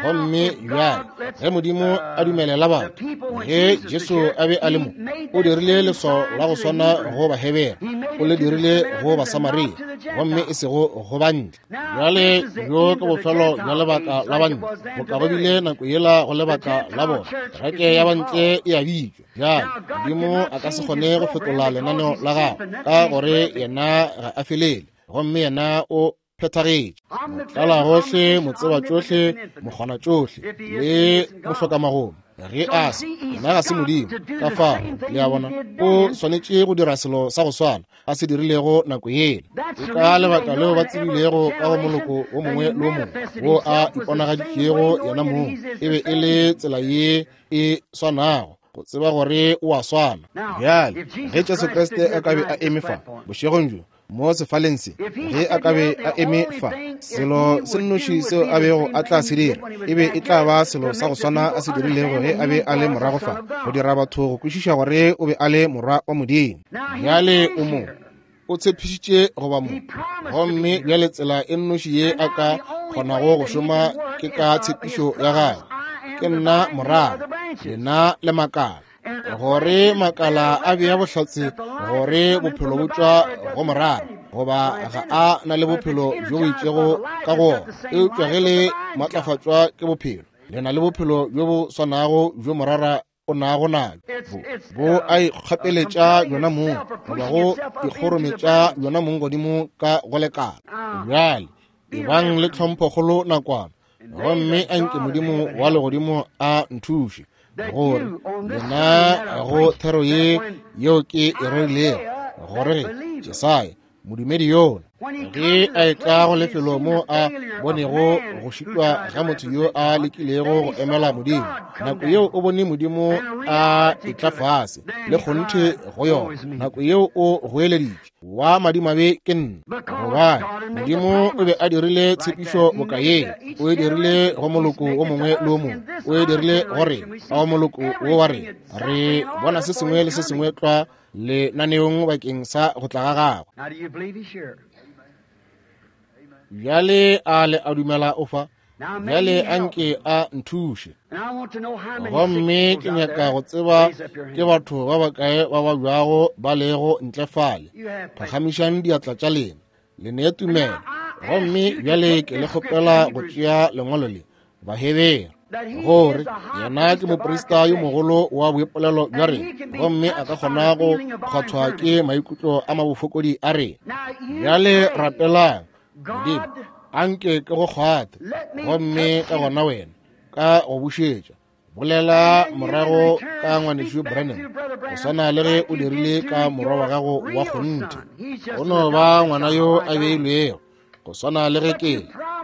Gomme bjale ge Modimo a dumelela batho, ge Jesu a be a le mo, o dirile leswao la go swana go Bahebere, o le dirile go Basamaria, gomme e sego go bantle. Bjale bjo ke bofelo bja lebaka la bantle, boka go bile nako yela go lebaka la bona. Kereke ya bantle e a bitšwa. Bjale Modimo a ka se kgone go fetola lenaneo la gagwe, ka gore yena ga a felele, gomme yena o phethagetše. Motlala gohle, motseba tšohle, mokgona tšohle, le mohlokamagomo. Ge a se, yena ga se Modimo. Ka fao, le a bona, o swanetše go dira selo sa go swana a se dirilego nako yela. Ke ka lebaka leo ba tsebilego ka go moloko o mongwe le o mongwe wo a iponagaditšego yena mong, e be e le tsela ye e swanago go tseba gore o a swana. Bjale ge Jesu Kriste a ka be a eme fa bošegong bjo mo sefaleng se, ge a ka be a eme fa, selo se nnoši seo a bego a tla se dira e be e tla ba selo sa go swana a se dirilego ge a be a le morago fa, go dira batho go kwešiša gore o be a le morwa wa Modimo. Bjale o mo, o tshepišitše go ba mo, gomme bjale tsela e nnoši ye a ka kgonago go šoma ke ka tshepišo ya gagwe. Ke nna morara, lena le makala. Gore makala a bea bohlatse gore bophelo bo tšwa go morara, goba ga a na le bophelo bjo bo itšego ka go ona, eupša ge le matlafatšwa ke bophelo, le na le bophelo bjo bo swanago bjo morara o nago nabjo. Bo a ikgapeletša yona mong, goba go ikgorometša yona mong godimo ka go lekala. Bjale ebang le tlhomphokgolo nakwana, gomme a nke Modimo wa legodimo a nthuše gore lena go thero ye yeo ke e rerilego, gore ge Jesaya modumedi yola ge a etla go lefelo mo a bonego go šitwa ga motho yo a lekilego go emela Modimo, nako yeo o bone Modimo a etla fase le kgonthe go yona, nako yeo o goeleditše, wa madimabe ke nna, gobane Modimo o be a dirile tshepišo boka ye, o e dirile go moloko o mongwe le o mongwe, o e dirile gore a go moloko wo wa rena. Re bona se sengwe le se sengwe tlwa lenaneong bakeng sa go tla ga gagwe. Bjale a le a dumela o fa? Bjale a nke a nthuše. Gomme ke nyaka go tseba ke batho ba bakae ba babjago ba lego ntle fale. Phagamišang diatla tša lena, le nee tumelo. Gomme bjale ke le kgopela go tšea lengwalo le, Bahebere, gore yena ke moprista yo mogolo wa boipolelo bja rena, gomme a ka kgona go kgwathwa ke maikutlo a mabofokodi a rena. Bjale rapelang, Modimo, a nke ke go kgwathe, gomme ka gona wena ka go bušetša. Bolela morago ka ngwanešu Branham, go swana le ge o dirile ka morwa wa gago wa kgonthe. O no ba ngwana yo a beilwego, go swana le ge ke,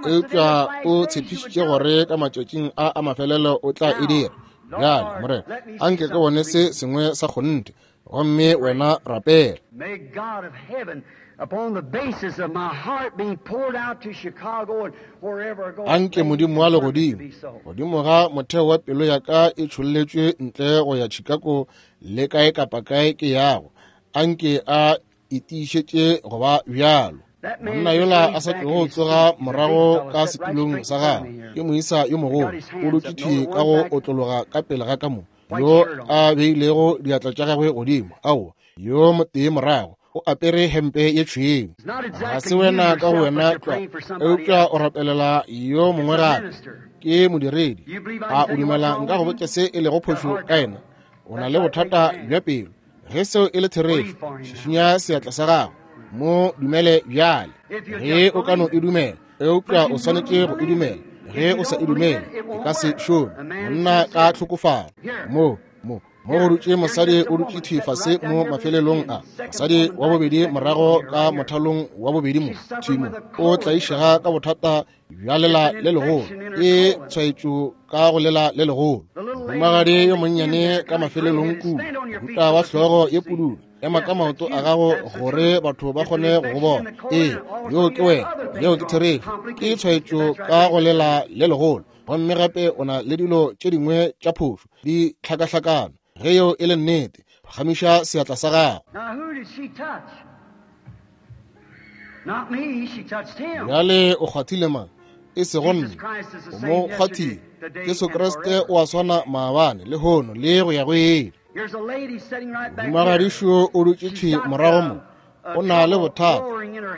eupša o tshepišitše gore ka matšatšing a a mafelelo o tla e dira. Bjale, Morena, a nke ke bone se sengwe sa kgonthe, gomme wena rapela. May God of heaven, upon the basis of my heart being poured out to Chicago and wherever I go, A nke Modimo wa legodimo, godimo ga motheo wa pelo ya ka e tšholletšwe ntle go ya Chicago le kae kapa kae ke yago, a nke a e tiišetše go ba bjalo. Monna yola a sa tlogo tsoga morago ka setulong sa gagwe ke moisa yo mogolo, o dutše thwi ka go otlologa ka pele ga ka mo, yo a beilego diatla tša gagwe godimo. Aowa, yo motee morago o apere hempe ye tšhweu. Ga se wena ka go wena tlwa, eupša o rapelela yo mongwe gape, ke modiredi. A o dumela nka go botša se e lego phošo ka yena? O na le bothata bja pelo. Ge seo e le therešo, šišinya seatla sa gago, mo dumele bjale. Ge o ka no e dumela, eupša o swanetše go e dumela. Ge o sa e dumele, e ka se šome. Monna ka tlhokofalo. Mo, mo, mo go dutše mosadi o dutše thwi fase mo mafelelong a. Mosadi wa bobedi morago ka mothalong wa bobedi mo, thwi mo, o tlaišega ka bothata bja lela le legolo, ke tshwaetšo ka go lela le legolo. Mohumagadi yo monnyane ka mafelelong kudu, mohuta wa hlogo ye pududu. Ema ka maoto a gago gore batho ba kgone go go bona. Ee, yoo ke wena. Yeo ke therešo. Ke tshwaetšo ka go lela le legolo. Gomme gape o na le dilo tše dingwe tša phošo di hlakahlakana. Ge yeo e le nnete, phagamiša seatla sa gago. Bjale o kgwathile mang? E sego nna. O mo kgwathile. Jesu Kriste o a swana maabane, lehono, le go ya go ile. Mohumagadišo o dutše thwi morago mo. O na le bothata.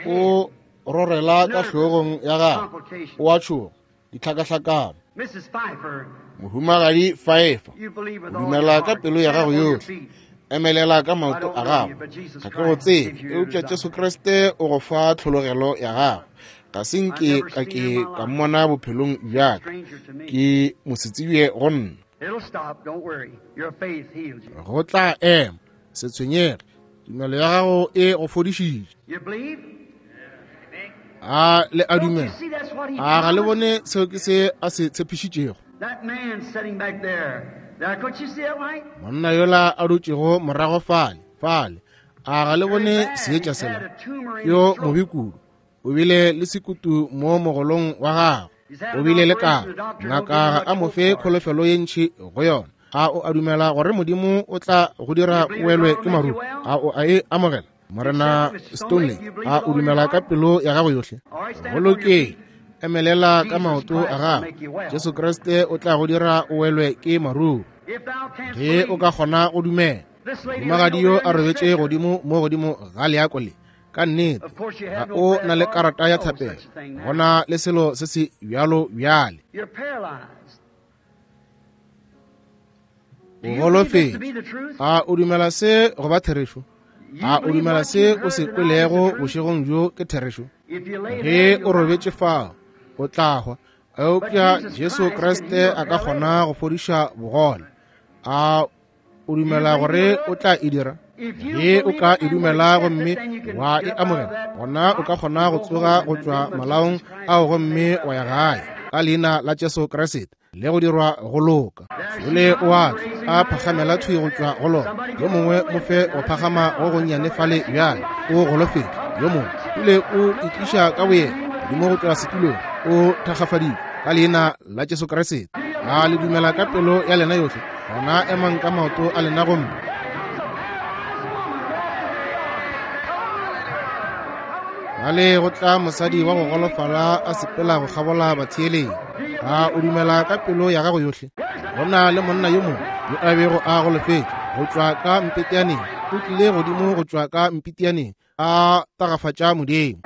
O rorela ka hlogong ya gagwe. O a tšhoga. Ditlhakahlakano. Mohumagadi Pfeiffer, o dumela ka pelo ya gago yohle. Emelela ka maoto a gago. Ga ke go tsebe, eupša Jesu Kriste o go fa tlhologelo ya gago. Ga se nke ka ke ka mmona bophelong bja ka. Ke mosetsebje go nna. Go tla ema. Se tshwenyege. Tumelo ya gago e go fodišitše. A le a dumela? A ga le bone seo ke se a se tshepišitšego? Monna yola a dutšego morago fale, fale, a ga le bone seetša sela? Yo mobe kudu. O bile le sekutu mo mogolong wa gagwe. O bile le karo. Ngaka ga a mo fe kholofelo ye ntši go yona. A o a dumela gore Modimo o tla go dira o welwe ke maruo? A o a e amogela? Morena Stoneley, a o dumela ka pelo ya gago yohle? Go lokile. Emelela ka maoto a gago. Jesu Kriste o tla go dira o welwe ke maruo. Ge o ka kgona go dumela. Mohumagadi yo a robetše godimo mo godimo ga leako le. Ka nnete, ga o na le karata ya thapelo. Go na le selo se se bjalo bjale. O golofetše. A o dumela se go ba therešo? A o dumela se o se kwelego bošegong bjo ke therešo? Ge o robetše fao, o tla hwa. Eupša Jesu Kriste a ka kgona go fodiša bogole. A o dumela gore o tla e dira? Ge o ka e dumela gomme wa e amogela, gona o ka kgona go tsoga go tšwa malaong ao gomme wa ya gae ka leina la Jesu Kriste le go dirwa go loka. Jole o a tla a phagamela thwi go tšwa go lona. Yo mongwe mo fe go phagama go gonnyane fale bjale, o golofetše. Yo mongwe pele o itliša ka boyena godimo go tšwa setulong, o thakgafaditšwe ka leina la Jesu Kriste. A le dumela ka pelo ya lena yohle? Gona emang ka maoto a lena gomme bjale go tla mosadi wa go golofala a sepela go kgabola batheeleng. A o dumela ka pelo ya gago yohle? Go na le monna yo mongwe yo a bego a golofetše go tšwa ka mpetianeng, o tlile godimo go tšwa ka mpetianeng a tagafatša Modimo.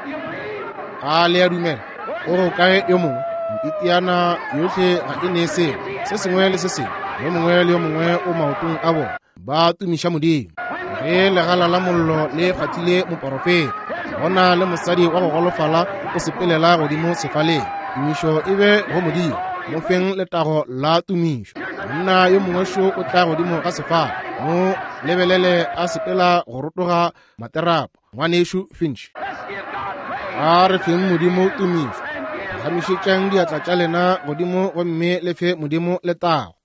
A le a dumela? O go kae yo mongwe? Mpetiana yohle ga e ne selo se sengwe le se sengwe. Yo mongwe le yo mongwe o maotong a bona, ba tumiša Modimo. Ge legala la mollo le kgwathile moporofeta, go na le mosadi wa go golofala o sepelela godimo sefaleng. Tumišo e be go Modimo, mo feng letago la tumišo. Monna yo mongwe šo o tla godimo ga sefala, mo lebelele a sepela go rotoga materapo. Ngwanešu Finch, a re feng Modimo tumišo. Phagamišetšang diatla tša lena godimo gomme le fe Modimo letago.